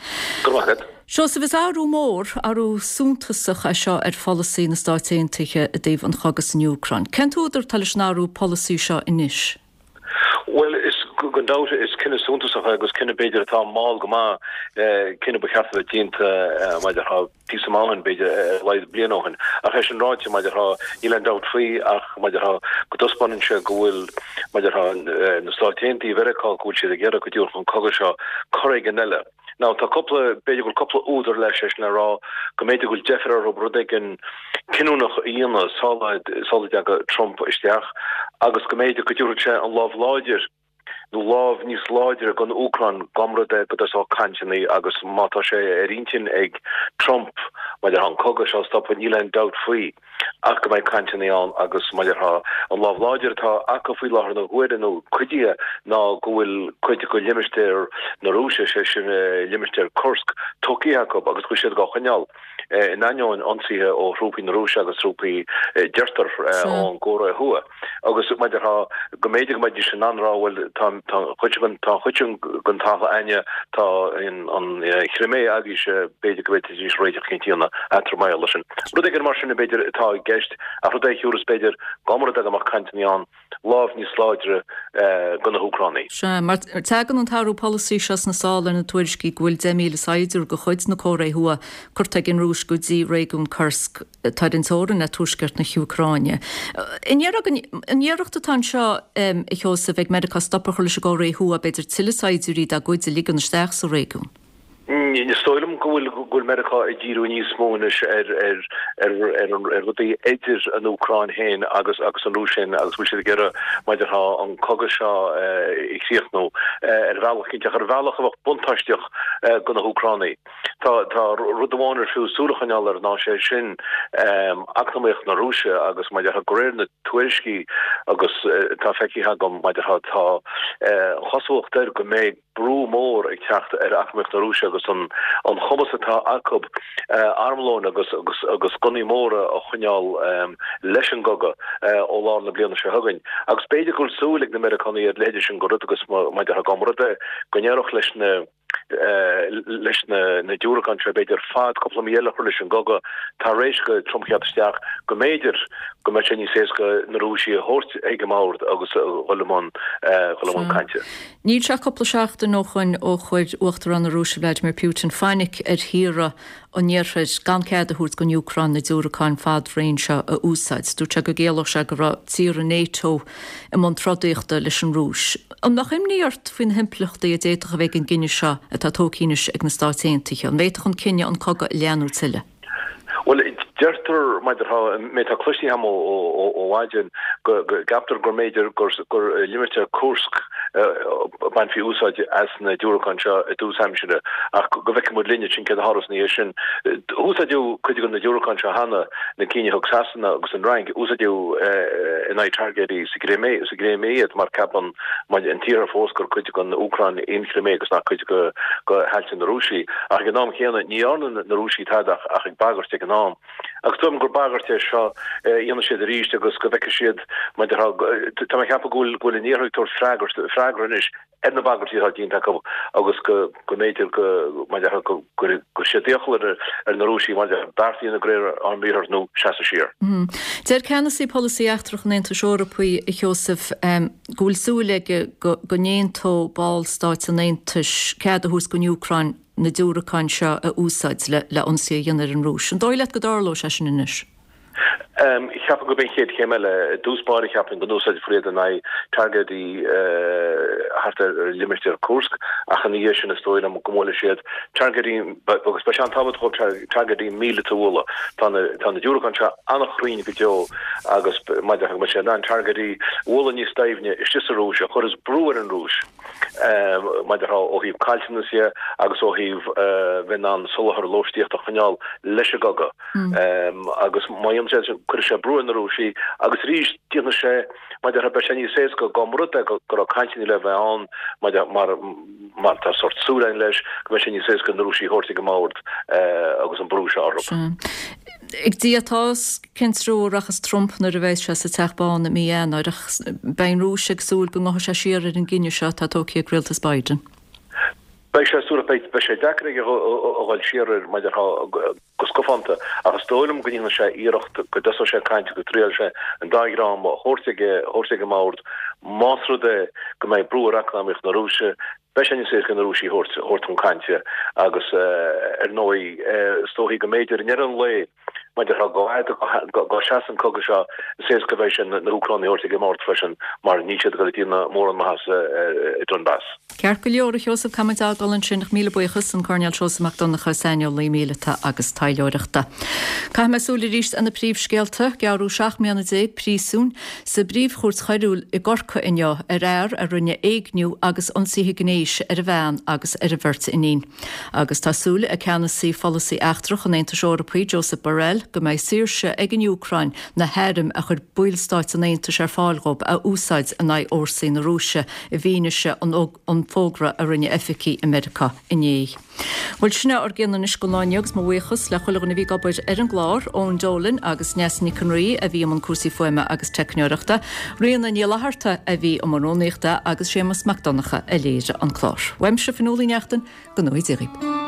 Go raibh maith agat. Seosamh, is athrú mór, athrú suntasach é seo ar pholasaí na Stáit Aontaithe i dtaobh an chogaidh san Úcráin. Cén t-údar atá leis an athrú polasaí seo anois? Bhuel, is go. Gan dabht, is cinneadh suntasach é agus cinneadh b'fhéidir atá mall go maith, cinneadh ba cheart a bheith déanta mar a déarfá píosa maith ó shin, b'fhéidir ar a laghad bliain ó shin. Ach é sin ráite, mar a déarfá, níl aon dabht faoi ach mar a déarfá go dtaispeánann sé go bhfuil, mar a déarfá, na Stáit Aontaithe Mheiriceá, go bhfuil siad ag iarraidh go dtabharfadh an cogadh seo cor éigin eile. Now tá cúpla, b'fhéidir go bhfuil cúpla údar leis, é sin le rá go mb'fhéidir go bhfuil deifir orthu rud éigin cinniúnach a dhéanamh sula, sula dtaga Trump isteach agus go mb'fhéidir go dtabharfadh sé an lámh láidir nó lámh níos láidre don Úcráin dá mba rud é go dtosódh cainteanna agus má tá sé ar intinn ag Trump mar a déarfá an cogadh seo a stopadh níl aon dabht faoi. ach go mbeidh cainteanna ann agus mar a déarfá an lámh láidir atá acu faoi láthair na huaire nó cuid dhe ná go bhfuil cuid de limistéar na Rúise, sé sin limistéar Kursk, tógtha acu agus go bhfuil siad dhá choinneáil in ainneoin ionsaithe ó thrúpaí na Rúise agus trúpaí deirtear ón gCóiré Thuaidh. Agus mar a déarfá go mb'fhéidir go mbeidís in ann a rá bhuel tá an chuid sin tá an chuid sin den talamh againne, tá an Chrimé agaibhse, b'fhéidir go bhféadfaidís réiteach eicínt a dhéanamh eatarthu mar gheall air sin. Rud éigin mar sin b'fhéidir atá i gceist ach rud é a thiúrfas b'fhéidir dá mba rud é go mbeadh cainteanna ann, lámh níos láidre do na hÚcránaigh. Sea, mar tagann an t-athrú polasaí seo sna sála ar na tuairiscí go bhfuil 10,000 saighdiúir de chuid na Cóiré Thuaidh curtha ag an Rúis go dtí réigiún Kursk. atá ar an teorainn le tuaisceart na hÚcráine. An iarracht atá anseo, a Sheosaimh, ag Meiriceá stop a chur leis an gCóiré Thuaidh, b'fhéidir tuilleadh saighdiúirí dá gcuid a ligean isteach sa réigiún? Is dóigh liom go bhfuil go bhfuil Meiriceá ag díriú níos mó anois ar ar ar ar ar rudaí idir an Úcráin féin agus agus an Rúis féin agus go bhfuil siad ag iarraidh mar a déarfá an cogadh seo a chríochnú ar bhealach cinnte ach ar bhealach a bheadh buntáisteach do na hÚcránaigh. Tá tá rud amháin ar fiú súil a choinneáil air ná sé sin eacnamaíocht na Rúise agus mar a déarfá de réir na tuairiscí agus atá feicthe agam mar a déarfá tá an chosúlacht air go mbeidh brú mór ag teacht ar eacnamaíocht na Rúise agus an an chumas atá acu armlóin agus agus agus gunnaí móra a choinneáil leis an gcogadh ó lár na bliana seo chugainn. Agus b'fhéidir go bhfuil súil ag na Meiriceánaigh ar a leithéid sin de rud agus mar a déarfá dá mba rud é go n-éireodh leis na leis na diúracáin seo, b'fhéidir, fad cúpla mí eile a chur leis an gcogadh tar éis do Trump theacht isteach, go mb'fhéidir go mbeadh sé níos éasca na Rúisigh a thabhairt ag an mbord agus a dhul i mbun dhul i mbun cainte. Níl sé ach cúpla seachtain ó shoin ó chuir Uachtarán na Rúise Vladimir Putin fainic ar thíortha an Iarthair gan cead a thabhairt don Úcráin na diúracáin fad-raoin seo a úsáid. Dúirt sé go gciallódh sé go raibh tíortha NATO i mbun trodaíochta leis an Rúis. An mbeadh imní ort faoi na himpleachtaí a d'fhéadfadh a bheith ag an gcinneadh seo atá tógtha anois ag na Stáit Aontaithe? An bhféadfadh an cinneadh an cogadh a leathnú tuilleadh? Bhuel, deirtear, mar a déarfá, an méid atá cloiste agam ó mhaidin, go gceaptar go mb'fhéidir gur i limistéar Kursk a bainfí úsáid as na diúracáin seo i dtús aimsire, ach go bhfeicfidh muid linn ansin céard a tharlós ina dhiaidh sin. Úsáideadh cuid de na diúracáin seo cheana, na cinn a thug Sasana agus an Fhrainc, úsáideadh in aghaidh targaidí sa gCrimé iad mar ceapann an tIarthar fós gur cuid den Úcráin í an Chrimé agus nach cuid de thailte na Rúise. Ach ag an am chéanna, ní dhearna na Rúisigh tada ach ag bagairt ag an am. Agus dóigh liom gur bagairt é seo a dhéanfaidh siad arís agus go bhfeicfidh siad mar a déarfá, tá mé ag ceapadh go bhfuil go bhfuil an Iarthar ag tabhairt freagairt, freagra anois ar na bagairtí atá déanta acu agus go go mb'fhéidir go mar a déarfá go gcuirfidh siad iachall ar ar na Rúisigh mar a déarfá beart a dhéanamh de réir ár mbriathar nó seasamh siar. Deir ceannasaí polasaí eachtrach an Aontais Eorpaigh, a Sheosaimh, go bhfuil súil aige go go n-aontódh ballstáit an Aontais cead a thabhairt don Úcráin na diúracáin seo a úsáid le ionsaí a dhéanamh ar an Rúis. An dóigh leat go dtarlóidh sé sin anois? Cheapfainn gurb é an chéad chéim eile. I dtús báire cheapfainn go n-úsáidfear iad in aghaidh targaidí thart ar limistéar Kursk ach ina dhiaidh sin is dóigh liom go mbuailfidh siad targaidí agus beidh sé an-tábhachtach dóibh targaidí míleata a bhualadh. Tá na tá na diúracáin seo an-chruinn go deo agus mar a déarfá go mbeidh siad in ann targaidí a bhualadh níos doimhne istigh sa Rúis a chuirfeas brú ar an Rúis. mar a déarfá ó thaobh caillteanas dhe agus ó thaobh bheith in ann soláthar lóistíochta a choinneáil leis an gcogadh. Agus má dhéanann sé sin, cuirfidh sé brú ar na Rúisigh agus arís déanfaidh sé, mar a déarfá, beidh sé níos éasca dá mba rud é go raibh cainteanna le bheith ann mar mar tá sórt súil againn leis, go mbeidh sé níos éasca na Rúisigh a thabhairt ag an mbord agus an brú seo orthu. Ag Dia atá a fhios cén treo a rachas Trump nuair a bheas sé sa Teach Bán i mí Eanáir, ach beidh an Rúis ag súil go ngabhfaidh sé siar ar an gcinneadh seo atá tógtha ag rialtas Biden. Beidh sé súil, beidh sé deacair aige a dhul siar air mar a déarfá go scafánta, ach is dóigh liom go ndéanfaidh sé iarracht go dtosóidh sé ag caint go dtriailfidh sé an dá dhream a thabhairt ag a thabhairt ag an mbord más rud é go mbeidh brú ar eacnamaíocht na Rúise, beidh sé níos éasca na Rúisigh a thabhairt thabhairt chun cainte agus ar ndóigh is dóichí go mb'fhéidir i ndeireadh an lae Mar a déarfá go bhfad go seasfaidh an cogadh seo, is éasca a bheidh sé na hÚcránaigh a thabhairt ag an mbord freisin mar níl siad ag dul ag déanamh mórán maitheasa i Donbass. Ceart go leor, a Sheosaimh, caithfidh muid a fhágáil ansin ach míle buíochas, an Coirnéal Seosamh Mac Donncha, saineolaí míleata agus taidhleoireachta. Caithfidh mé súil arís ar na príomhscéalta. Gearradh 17 mbliana príosúin sa bPríomh-Chúirt Choiriúil i gCorcaigh inniu ar fhear a rinne éigniú agus ionsaithe gnéis ar a bhean agus ar a bheirt iníon. Agus tá súil ag ceannasaí pholasaí eachtrach an Aontais Eorpaigh, Josep Borrell, go mbeidh saoirse ag an Úcráin na hairm a chuir ballstáit an Aontais ar fáil dhóibh a úsáid in aghaidh fhórsaí na Rúise i bhfianaise an fógra a rinne oifigigh i Meiriceá inné. Bhuel, sin é ár gcion anois don lá inniu agus mo bhuíochas le chuile dhuine a bhí ag obair ar an gclár, Eoin Dolan agus Neasa Nic an Rí a bhí i mbun cúrsaí fuaime agus teicneoireachta, Ríona Ní Fhlatharta a bhí i mbun rúnaíochta agus Séamus Mac Donncha a léirigh an clár. Uaimse, Fionnuala Uí Neachtain, go ngnóthaí Dia dhaoibh.